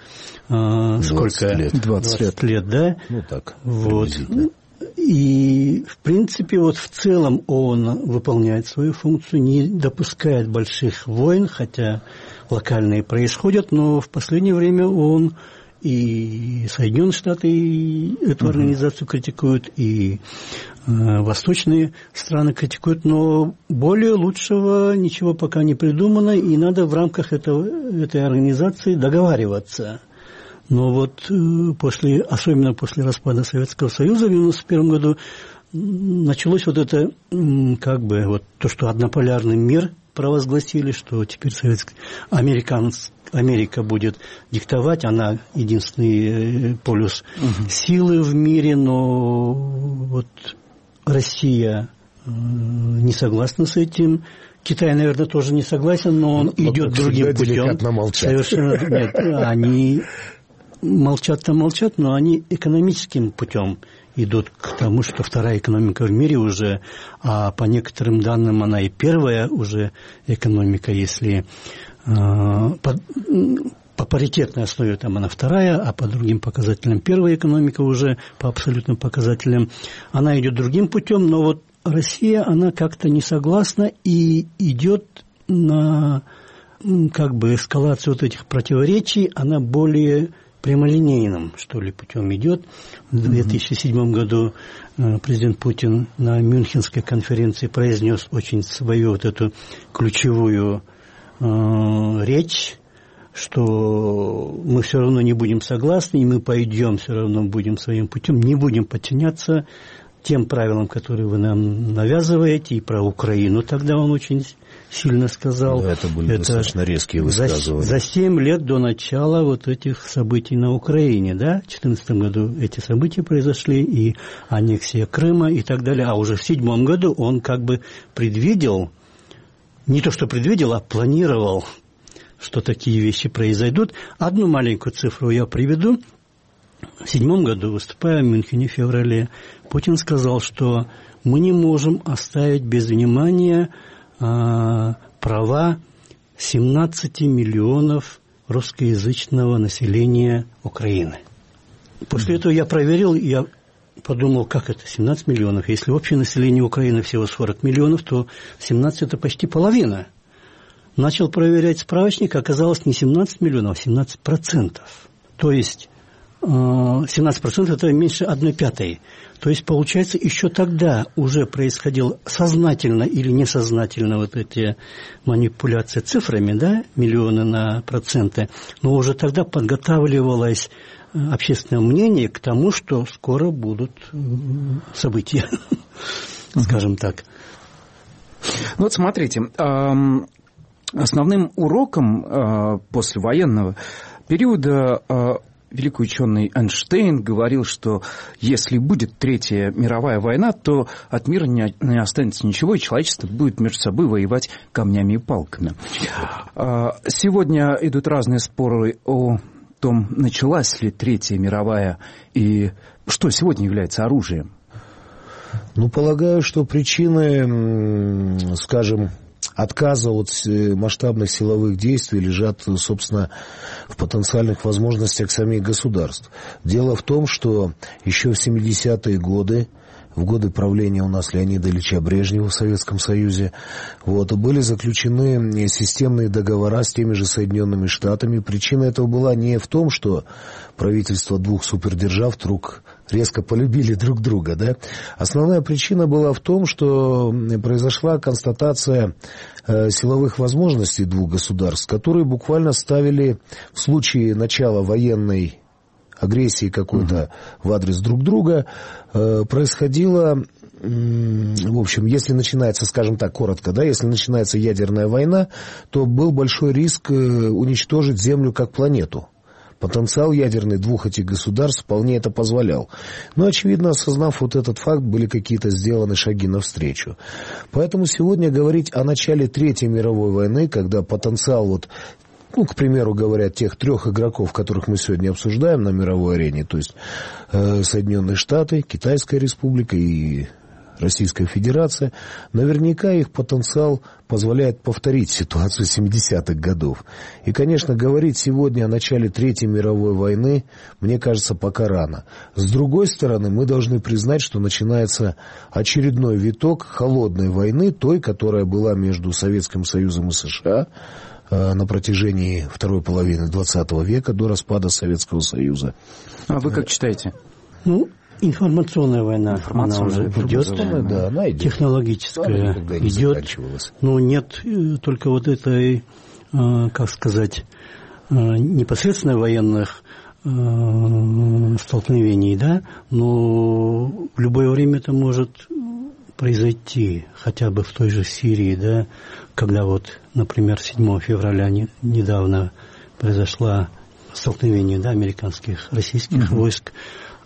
20 лет, да? Ну так, вот. И, в принципе, вот в целом ООН выполняет свою функцию, не допускает больших войн, хотя локальные происходят, но в последнее время ООН и Соединенные Штаты эту организацию критикуют, и восточные страны критикуют, но более лучшего ничего пока не придумано, и надо в рамках этой организации договариваться. Но вот особенно после распада Советского Союза в 1991 году началось вот это, как бы, вот то, что однополярный мир провозгласили, что теперь Америка будет диктовать, она единственный полюс силы в мире, но вот Россия не согласна с этим. Китай, наверное, тоже не согласен, но он идет другим путем. Совершенно нет. Они молчат-то молчат, но они экономическим путем идут к тому, что вторая экономика в мире уже, а по некоторым данным она и первая уже экономика, если по паритетной основе там она вторая, а по другим показателям первая экономика уже по абсолютным показателям. Она идет другим путем, но вот Россия, она как-то не согласна и идет на как бы эскалацию вот этих противоречий, она более прямолинейным, что ли, путем идет. В 2007 году президент Путин на Мюнхенской конференции произнес очень свою вот эту ключевую речь, что мы все равно не будем согласны, и мы пойдем, все равно будем своим путем, не будем подчиняться тем правилам, которые вы нам навязываете, и про Украину тогда он очень сильно сказал. Да, это были достаточно резкие высказывания. За 7 лет до начала вот этих событий на Украине, да, в 2014 году эти события произошли, и аннексия Крыма и так далее, а уже в 2007 году он как бы предвидел, не то что предвидел, а планировал, что такие вещи произойдут. Одну маленькую цифру я приведу. В 2007 году, выступая в Мюнхене в феврале, Путин сказал, что мы не можем оставить без внимания права 17 миллионов русскоязычного населения Украины. После этого я проверил, я подумал, как это 17 миллионов? Если общее население Украины всего 40 миллионов, то 17 – это почти половина. Начал проверять справочник, оказалось не 17 миллионов, а 17%. То есть 17% это меньше 1/5. То есть, получается, еще тогда уже происходило сознательно или несознательно вот эти манипуляции цифрами, да, миллионы на проценты, но уже тогда подготавливалось общественное мнение к тому, что скоро будут события, скажем так. Ну вот смотрите, основным уроком послевоенного периода великий ученый Эйнштейн говорил, что если будет Третья мировая война, то от мира не останется ничего, и человечество будет между собой воевать камнями и палками. Сегодня идут разные споры о том, началась ли Третья мировая, и что сегодня является оружием. Ну, полагаю, что причины, скажем, отказа от масштабных силовых действий лежат, собственно, в потенциальных возможностях самих государств. Дело в том, что еще в 70-е годы, в годы правления у нас Леонида Ильича Брежнева в Советском Союзе, были заключены системные договора с теми же Соединенными Штатами. Причина этого была не в том, что правительства двух супердержав вдруг резко полюбили друг друга, да? Основная причина была в том, что произошла констатация силовых возможностей двух государств, которые буквально ставили в случае начала военной агрессии какой-то в адрес друг друга, происходило, в общем, если начинается, скажем так, коротко, да, если начинается ядерная война, то был большой риск уничтожить Землю как планету. Потенциал ядерный двух этих государств вполне это позволял. Но, очевидно, осознав вот этот факт, были какие-то сделаны шаги навстречу. Поэтому сегодня говорить о начале Третьей мировой войны, когда потенциал к примеру, говорят, тех 3 игроков, которых мы сегодня обсуждаем на мировой арене, то есть Соединенные Штаты, Китайская Республика и Российская Федерация, наверняка их потенциал позволяет повторить ситуацию 70-х годов. И, конечно, говорить сегодня о начале Третьей мировой войны, мне кажется, пока рано. С другой стороны, мы должны признать, что начинается очередной виток холодной войны, той, которая была между Советским Союзом и США, на протяжении второй половины 20 века, до распада Советского Союза. А вы как читаете? Информационная война, она уже идет, да, она идет. Технологическая идет, но нет только вот этой, как сказать, непосредственно военных столкновений, да, но в любое время это может произойти, хотя бы в той же Сирии, да, когда вот, например, 7 февраля недавно произошло столкновение, да, американских, российских войск,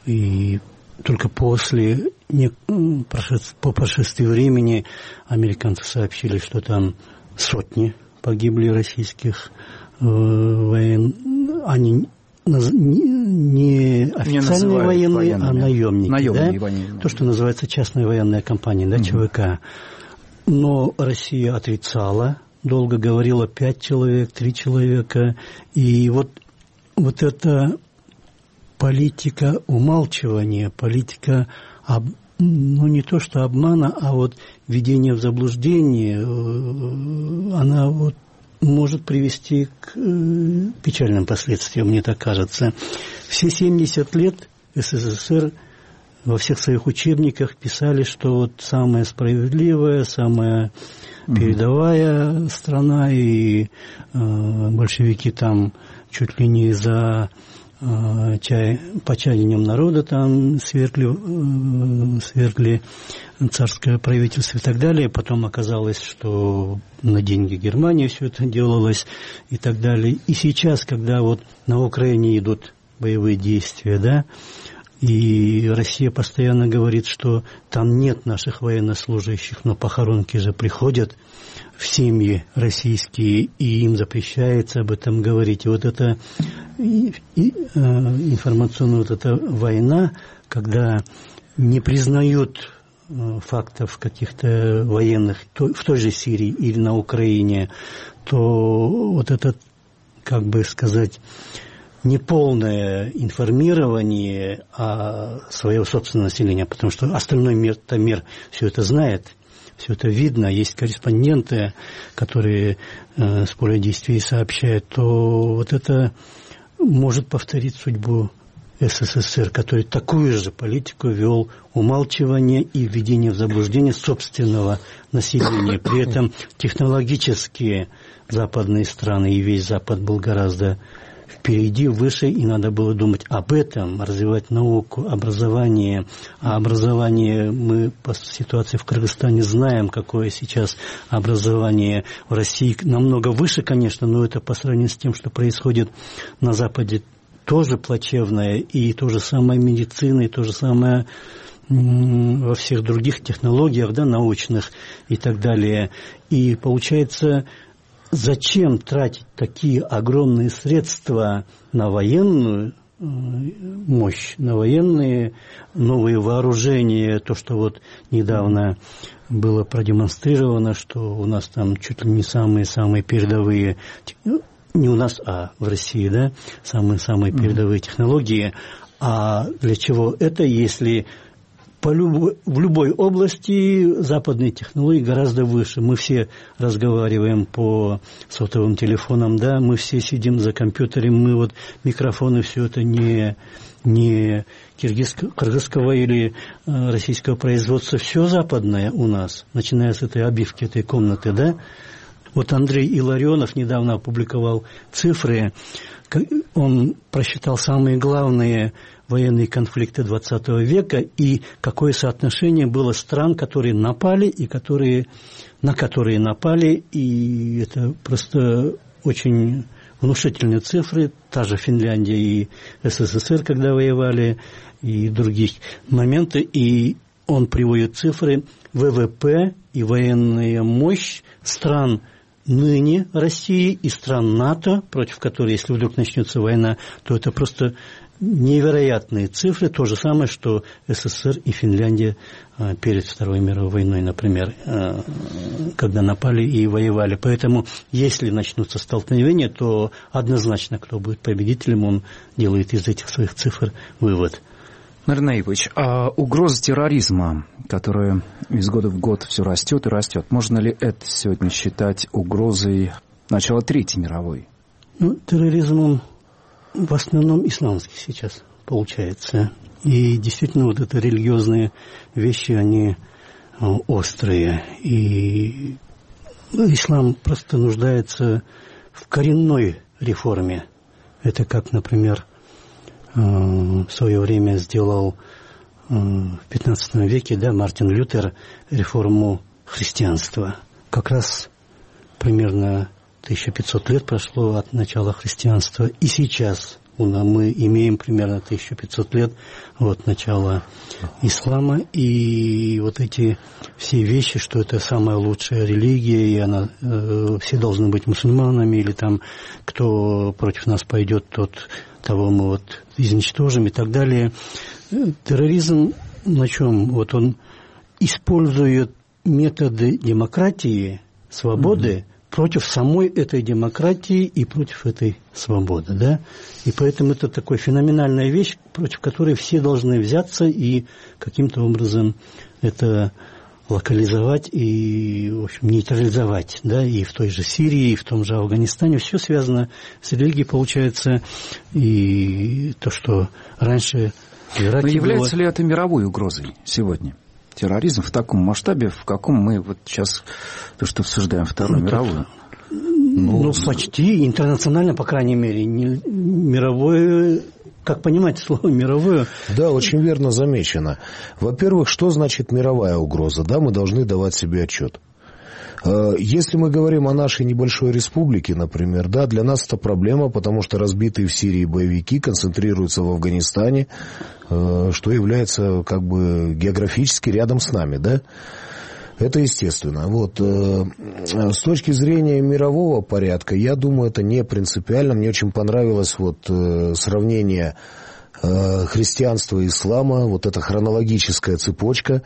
и только после, по прошествии времени, американцы сообщили, что там сотни погибли российских они не официальные военные, а наемники, да? То, что называется частная военная компания, да, ЧВК. Но Россия отрицала, долго говорила 5 человек, 3 человека. И вот эта политика умалчивания, политика, не то что обмана, а вот введение в заблуждение, она вот может привести к печальным последствиям, мне так кажется. Все 70 лет СССР во всех своих учебниках писали, что вот самая справедливая, самая передовая страна, и большевики там чуть ли не за почаянием народа там свергли царское правительство и так далее. Потом оказалось, что на деньги Германии все это делалось и так далее. И сейчас, когда вот на Украине идут боевые действия, да, и Россия постоянно говорит, что там нет наших военнослужащих, но похоронки же приходят в семьи российские, и им запрещается об этом говорить. И вот эта информационная вот эта война, когда не признают фактов каких-то военных в той же Сирии или на Украине, то вот это, как бы сказать, неполное информирование своего собственного населения, потому что остальной мир все это знает, все это видно, есть корреспонденты, которые с поля действий сообщают, то вот это может повторить судьбу СССР, который такую же политику вел умалчивание и введение в заблуждение собственного населения. При этом технологические западные страны и весь Запад был гораздо впереди, выше, и надо было думать об этом, развивать науку, образование. А образование, мы по ситуации в Кыргызстане знаем, какое сейчас образование в России. Намного выше, конечно, но это по сравнению с тем, что происходит на Западе, тоже плачевное. И то же самое медицина, и то же самое во всех других технологиях, да, научных и так далее. И получается, зачем тратить такие огромные средства на военную мощь, на военные новые вооружения, то, что вот недавно было продемонстрировано, что у нас там чуть ли не самые передовые, не у нас, а в России, да, самые передовые технологии. А для чего это, если в любой области западные технологии гораздо выше. Мы все разговариваем по сотовым телефонам, да, мы все сидим за компьютером, мы вот микрофоны, все это не кыргызского или российского производства, все западное у нас, начиная с этой обивки этой комнаты, да. Вот Андрей Илларионов недавно опубликовал цифры, он просчитал самые главные военные конфликты 20 века и какое соотношение было стран, которые напали и на которые напали, и это просто очень внушительные цифры, та же Финляндия и СССР, когда воевали, и других моменты, и он приводит цифры ВВП и военная мощь стран ныне России и стран НАТО, против которой, если вдруг начнется война, то это просто невероятные цифры, то же самое, что СССР и Финляндия перед Второй мировой войной, например, когда напали и воевали. Поэтому, если начнутся столкновения, то однозначно, кто будет победителем, он делает из этих своих цифр вывод. Нарин Наипович, а угроза терроризма, которая из года в год все растет и растет, можно ли это сегодня считать угрозой начала Третьей мировой? Терроризм, он в основном исламский сейчас получается. И действительно, вот это религиозные вещи, они острые. И ислам просто нуждается в коренной реформе. Это как, например, в свое время сделал в 15 веке, да, Мартин Лютер реформу христианства. Как раз примерно 1500 лет прошло от начала христианства, и сейчас мы имеем примерно 1500 лет от начала ислама, и вот эти все вещи, что это самая лучшая религия, и она, все должны быть мусульманами, или там кто против нас пойдет, того мы вот изничтожим и так далее. Терроризм на чем? Вот он использует методы демократии, свободы, против самой этой демократии и против этой свободы, да? И поэтому это такая феноменальная вещь, против которой все должны взяться и каким-то образом это локализовать и, в общем, нейтрализовать, да, и в той же Сирии, и в том же Афганистане. Все связано с религией, получается, и то, что раньше в Ираке. Но является ли это мировой угрозой сегодня? Терроризм в таком масштабе, в каком мы вот сейчас то, что обсуждаем Вторую мировую? Ну, почти интернационально, по крайней мере, не мировое. Как понимать слово «мировое»? Да, очень верно замечено. Во-первых, что значит мировая угроза? Да, мы должны давать себе отчет. Если мы говорим о нашей небольшой республике, например, да, для нас это проблема, потому что разбитые в Сирии боевики концентрируются в Афганистане, что является как бы географически рядом с нами, да. Это естественно. Вот. С точки зрения мирового порядка, я думаю, это не принципиально. Мне очень понравилось вот сравнение христианства и ислама, вот эта хронологическая цепочка.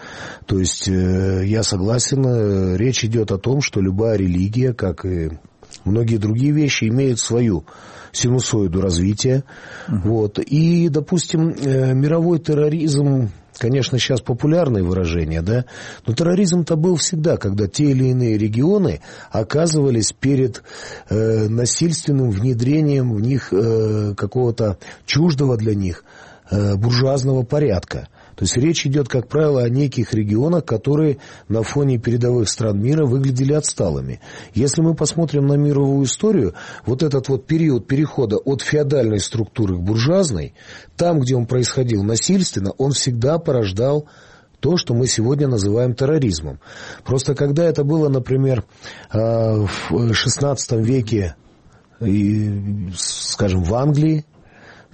То есть я согласен, речь идет о том, что любая религия, как и многие другие вещи, имеют свою синусоиду развития. Вот. И, допустим, мировой терроризм, конечно, сейчас популярное выражение, да, но терроризм-то был всегда, когда те или иные регионы оказывались перед насильственным внедрением в них какого-то чуждого для них буржуазного порядка. То есть речь идет, как правило, о неких регионах, которые на фоне передовых стран мира выглядели отсталыми. Если мы посмотрим на мировую историю, вот этот вот период перехода от феодальной структуры к буржуазной, там, где он происходил насильственно, он всегда порождал то, что мы сегодня называем терроризмом. Просто когда это было, например, в XVI веке, скажем, в Англии,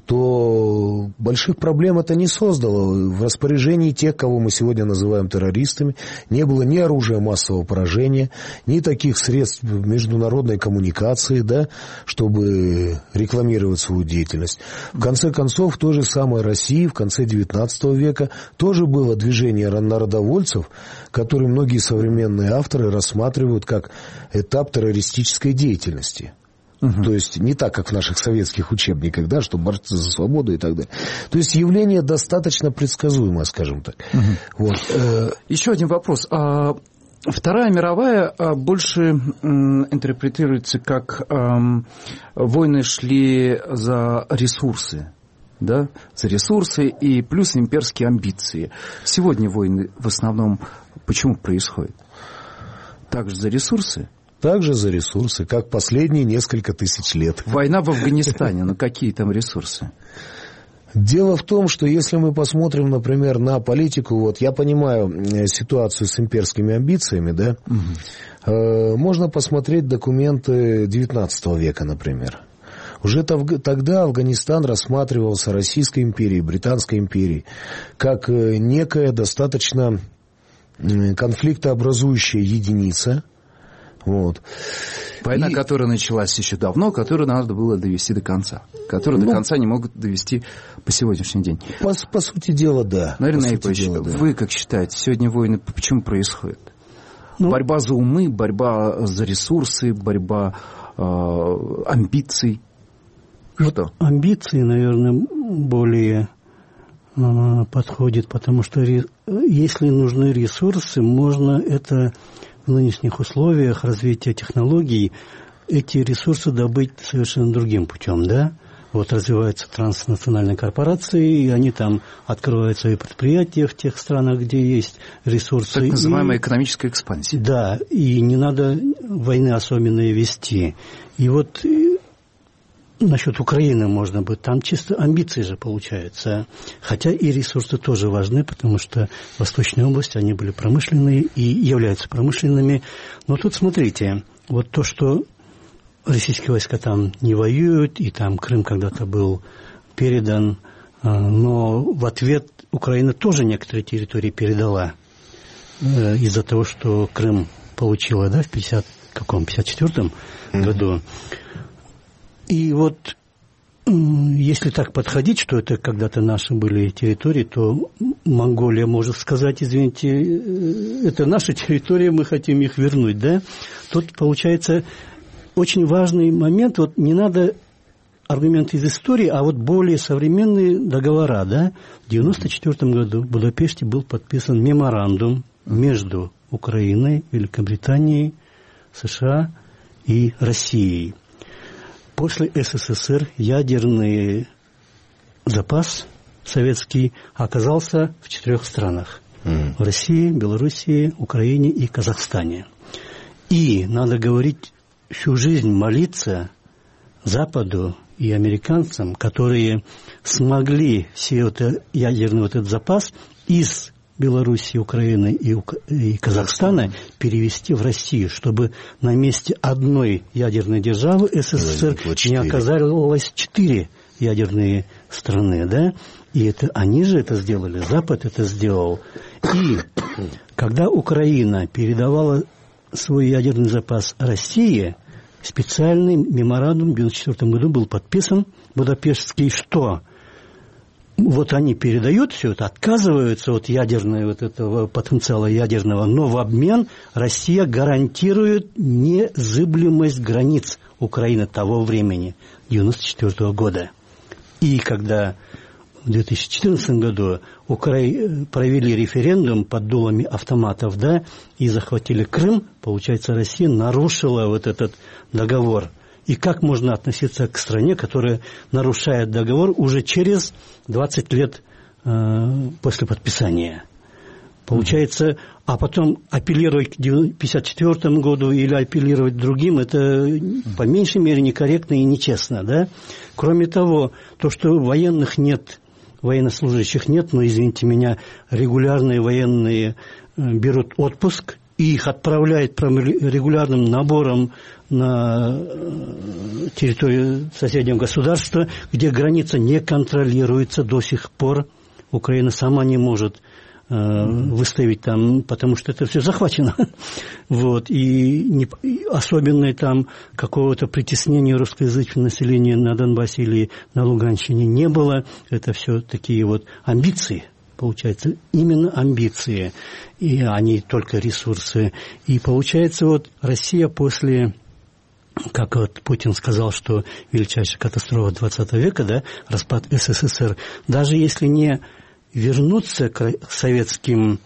то больших проблем это не создало. В распоряжении тех, кого мы сегодня называем террористами, не было ни оружия массового поражения, ни таких средств международной коммуникации, да, чтобы рекламировать свою деятельность. В конце концов, в той же самой России в конце XIX века тоже было движение народовольцев, которые многие современные авторы рассматривают как этап террористической деятельности. То есть не так, как в наших советских учебниках, да, что борцы за свободу и так далее. То есть явление достаточно предсказуемое, скажем так. Вот. Еще один вопрос. Вторая мировая больше интерпретируется как войны шли за ресурсы. Да, за ресурсы и плюс имперские амбиции. Сегодня войны в основном почему происходят? Также за ресурсы? Также за ресурсы, как последние несколько тысяч лет. Война в Афганистане, но какие там ресурсы? Дело в том, что если мы посмотрим, например, на политику, вот я понимаю ситуацию с имперскими амбициями, да, можно посмотреть документы XIX века, например. Уже тогда Афганистан рассматривался Российской империей, Британской империей, как некая достаточно конфликтообразующая единица. Вот. Война, которая началась еще давно, которую надо было довести до конца. Которую до конца не могут довести по сегодняшний день. По сути дела, да. Наверное, вы как считаете, сегодня войны почему происходят? Борьба за умы, борьба за ресурсы, борьба амбиций. Что? Амбиции, наверное, более подходит, потому что если нужны ресурсы, можно это в нынешних условиях развития технологий эти ресурсы добыть совершенно другим путем, да? Вот развиваются транснациональные корпорации, и они там открывают свои предприятия в тех странах, где есть ресурсы. Так называемая экономическая экспансия. Да, и не надо войны особенные вести. И вот насчет Украины можно быть, там чисто амбиции же получаются. Хотя и ресурсы тоже важны, потому что восточные области, они были промышленные и являются промышленными. Но тут смотрите, вот то, что российские войска там не воюют, и там Крым когда-то был передан, но в ответ Украина тоже некоторые территории передала из-за того, что Крым получила, да, в 54-м году. И вот если так подходить, что это когда-то наши были территории, то Монголия может сказать, извините, это наша территория, мы хотим их вернуть, да? Тут получается очень важный момент, вот не надо аргументы из истории, а вот более современные договора, да? В 1994 году в Будапеште был подписан меморандум между Украиной, Великобританией, США и Россией. После СССР ядерный запас советский оказался в 4 странах. В России, Белоруссии, Украине и Казахстане. И надо говорить, всю жизнь молиться Западу и американцам, которые смогли все это ядерный вот этот запас из Белоруссии, Украины и Казахстана перевести в Россию, чтобы на месте одной ядерной державы СССР не оказалось 4 ядерные страны, да? И это они же это сделали, Запад это сделал. И когда Украина передавала свой ядерный запас России, специальный меморандум в 1994 году был подписан Будапештский, что вот они передают все это, отказываются от ядерного вот этого потенциала ядерного, но в обмен Россия гарантирует незыблемость границ Украины того времени, 1994 года. И когда в 2014 году провели референдум под дулами автоматов, да, и захватили Крым, получается, Россия нарушила вот этот договор. И как можно относиться к стране, которая нарушает договор уже через 20 лет после подписания? Получается, а потом апеллировать к 1954 году или апеллировать к другим, это по меньшей мере некорректно и нечестно, да? Кроме того, то, что военных нет, военнослужащих нет, но, извините меня, регулярные военные берут отпуск, и их отправляют регулярным набором на территорию соседнего государства, где граница не контролируется до сих пор. Украина сама не может выставить там, потому что это все захвачено. Вот. И особенно там какого-то притеснения русскоязычного населения на Донбассе или на Луганщине не было. Это все такие вот амбиции. Получается, именно амбиции, а не только ресурсы. И получается, вот Россия после, как вот Путин сказал, что величайшая катастрофа 20 века, да, распад СССР, даже если не вернуться к советским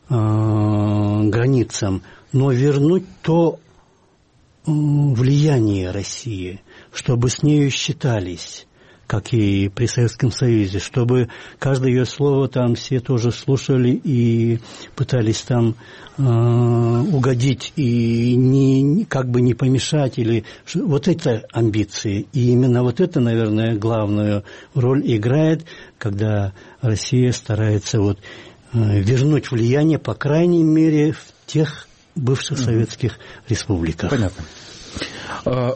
границам, но вернуть то влияние России, чтобы с нею считались, как и при Советском Союзе, чтобы каждое ее слово там все тоже слушали и пытались там угодить и как бы не помешать. Вот это амбиции. И именно вот это, наверное, главную роль играет, когда Россия старается вот вернуть влияние, по крайней мере, в тех бывших советских республиках. Понятно.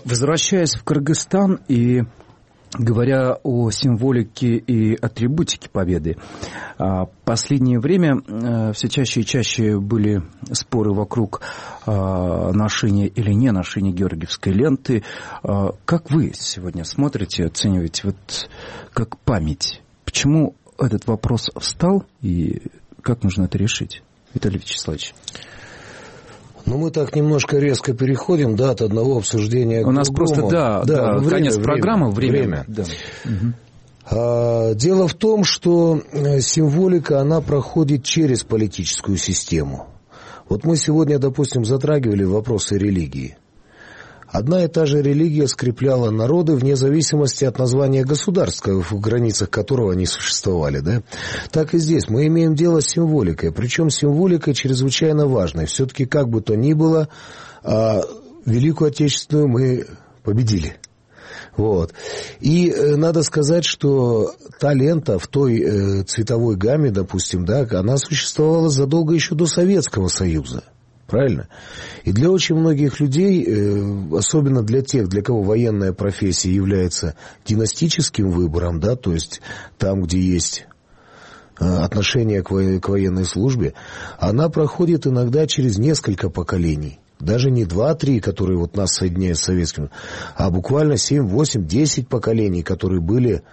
Возвращаясь в Кыргызстан и говоря о символике и атрибутике победы, в последнее время все чаще и чаще были споры вокруг ношения или не ношения георгиевской ленты. Как вы сегодня смотрите, оцениваете вот как память? Почему этот вопрос встал и как нужно это решить, Виталий Вячеславович? Ну, мы так немножко резко переходим, да, от одного обсуждения к другому. У нас просто, да, конец программы, время. Да. Дело в том, что символика, она проходит через политическую систему. Вот мы сегодня, допустим, затрагивали вопросы религии. Одна и та же религия скрепляла народы вне зависимости от названия государства, в границах которого они существовали, да? Так и здесь мы имеем дело с символикой, причем символикой чрезвычайно важной. Все-таки, как бы то ни было, Великую Отечественную мы победили. Вот. И надо сказать, что та лента в той цветовой гамме, допустим, да, она существовала задолго еще до Советского Союза. Правильно? И для очень многих людей, особенно для тех, для кого военная профессия является династическим выбором, да, то есть там, где есть отношение к военной службе, она проходит иногда через несколько поколений. Даже не 2-3, которые вот нас соединяют с советским, а буквально 7, 8, 10 поколений, которые были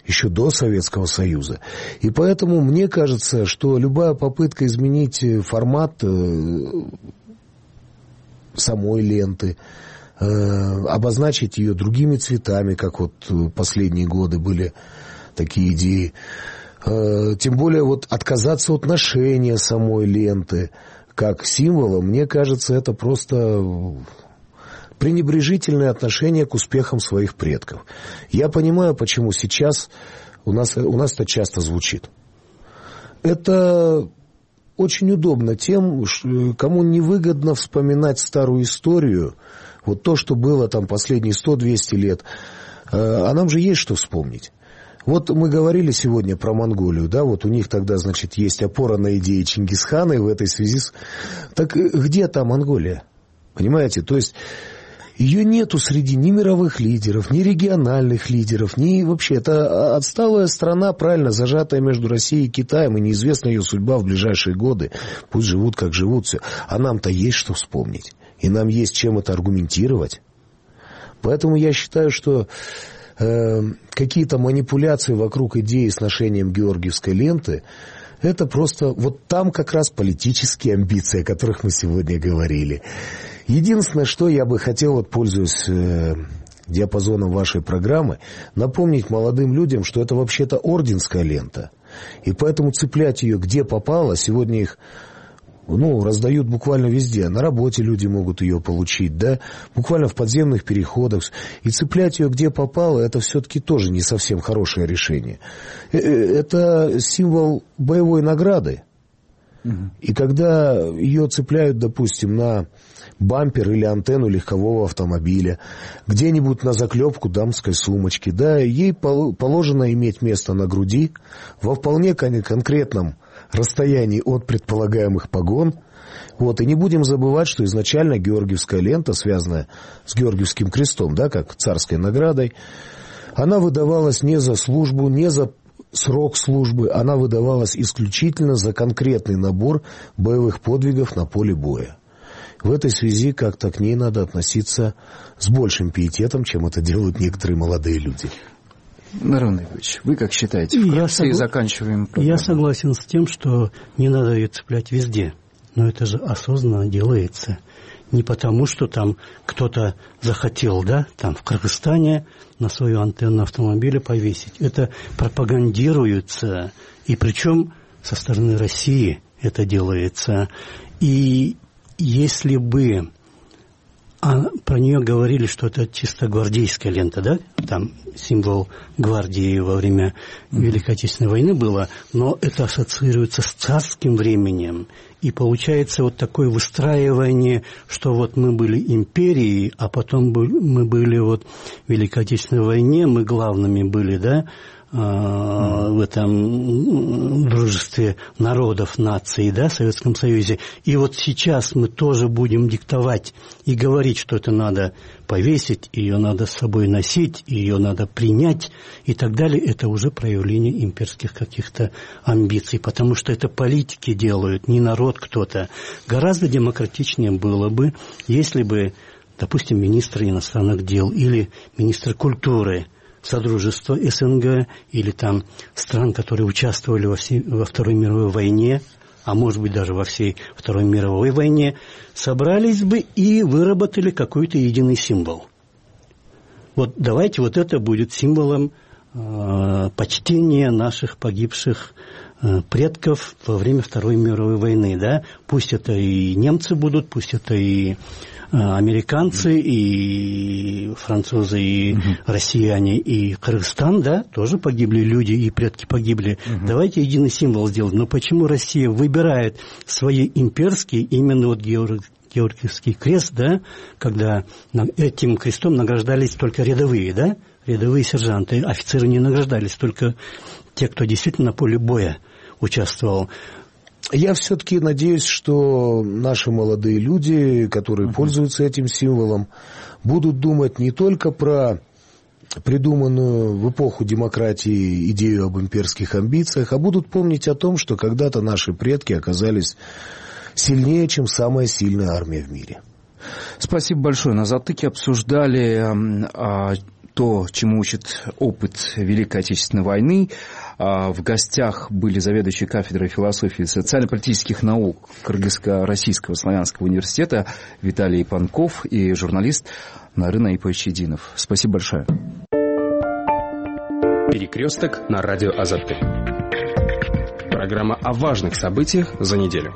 еще до Советского Союза. И поэтому мне кажется, что любая попытка изменить формат самой ленты, обозначить ее другими цветами, как вот последние годы были такие идеи, тем более вот отказаться от ношения самой ленты как символа, мне кажется, это просто пренебрежительное отношение к успехам своих предков. Я понимаю, почему сейчас у нас это часто звучит. Это очень удобно тем, кому невыгодно вспоминать старую историю, вот то, что было там последние 100-200 лет, а нам же есть что вспомнить. Вот мы говорили сегодня про Монголию, да, вот у них тогда, значит, есть опора на идеи Чингисхана, и в этой связи... Так где та Монголия? Понимаете? То есть ее нету среди ни мировых лидеров, ни региональных лидеров, ни вообще... Это отсталая страна, правильно, зажатая между Россией и Китаем, и неизвестна ее судьба в ближайшие годы. Пусть живут, как живут, все. А нам-то есть что вспомнить. И нам есть чем это аргументировать. Поэтому я считаю, что... какие-то манипуляции вокруг идеи с ношением георгиевской ленты, это просто вот там как раз политические амбиции, о которых мы сегодня говорили. Единственное, что я бы хотел, вот, пользуясь диапазоном вашей программы, напомнить молодым людям, что это вообще-то орденская лента. И поэтому цеплять ее где попало, сегодня их раздают буквально везде. На работе люди могут ее получить, да, буквально в подземных переходах. И цеплять ее где попало, это все-таки тоже не совсем хорошее решение. Это символ боевой награды. И когда ее цепляют, допустим, на бампер или антенну легкового автомобиля, где-нибудь на заклепку дамской сумочки, да, ей положено иметь место на груди во вполне конкретном расстоянии от предполагаемых погон. Вот, и не будем забывать, что изначально георгиевская лента, связанная с Георгиевским крестом, да, как царской наградой, она выдавалась не за службу, не за срок службы, она выдавалась исключительно за конкретный набор боевых подвигов на поле боя. В этой связи как-то к ней надо относиться с большим пиететом, чем это делают некоторые молодые люди. Нарон Игоревич, вы как считаете? Вкратце и заканчиваем программу. Я согласен с тем, что не надо ее цеплять везде. Но это же осознанно делается. Не потому, что там кто-то захотел, да, там в Кыргызстане на свою антенну автомобиля повесить. Это пропагандируется, и причем со стороны России это делается. И если бы про нее говорили, что это чисто гвардейская лента, да, там символ гвардии во время Великой Отечественной войны было, но это ассоциируется с царским временем, и получается вот такое выстраивание, что вот мы были империей, а потом мы были вот в Великой Отечественной войне, мы главными были, да, в этом дружестве народов, наций, да, в Советском Союзе. И вот сейчас мы тоже будем диктовать и говорить, что это надо повесить, ее надо с собой носить, ее надо принять и так далее. Это уже проявление имперских каких-то амбиций, потому что это политики делают, не народ кто-то. Гораздо демократичнее было бы, если бы, допустим, министр иностранных дел или министр культуры Содружества СНГ или там стран, которые участвовали во Второй мировой войне, а может быть даже во всей Второй мировой войне, собрались бы и выработали какой-то единый символ. Вот давайте вот это будет символом почтения наших погибших предков во время Второй мировой войны, да? Пусть это и немцы будут, пусть это и американцы, и французы, и россияне, и Кыргызстан, да, тоже погибли люди, и предки погибли. Давайте единый символ сделать. Но почему Россия выбирает свои имперские, именно вот Георгиевский крест, да, когда этим крестом награждались только рядовые, да, рядовые сержанты, офицеры не награждались, только те, кто действительно на поле боя участвовал. Я все-таки надеюсь, что наши молодые люди, которые пользуются этим символом, будут думать не только про придуманную в эпоху демократии идею об имперских амбициях, а будут помнить о том, что когда-то наши предки оказались сильнее, чем самая сильная армия в мире. Спасибо большое. На «Затыке» обсуждали то, чему учит опыт Великой Отечественной войны. В гостях были заведующий кафедрой философии и социально-политических наук Кыргызско-Российского славянского университета Виталий Панков и журналист Нарын Айпович Единов. Спасибо большое. Перекресток на радио Азаттык. Программа о важных событиях за неделю.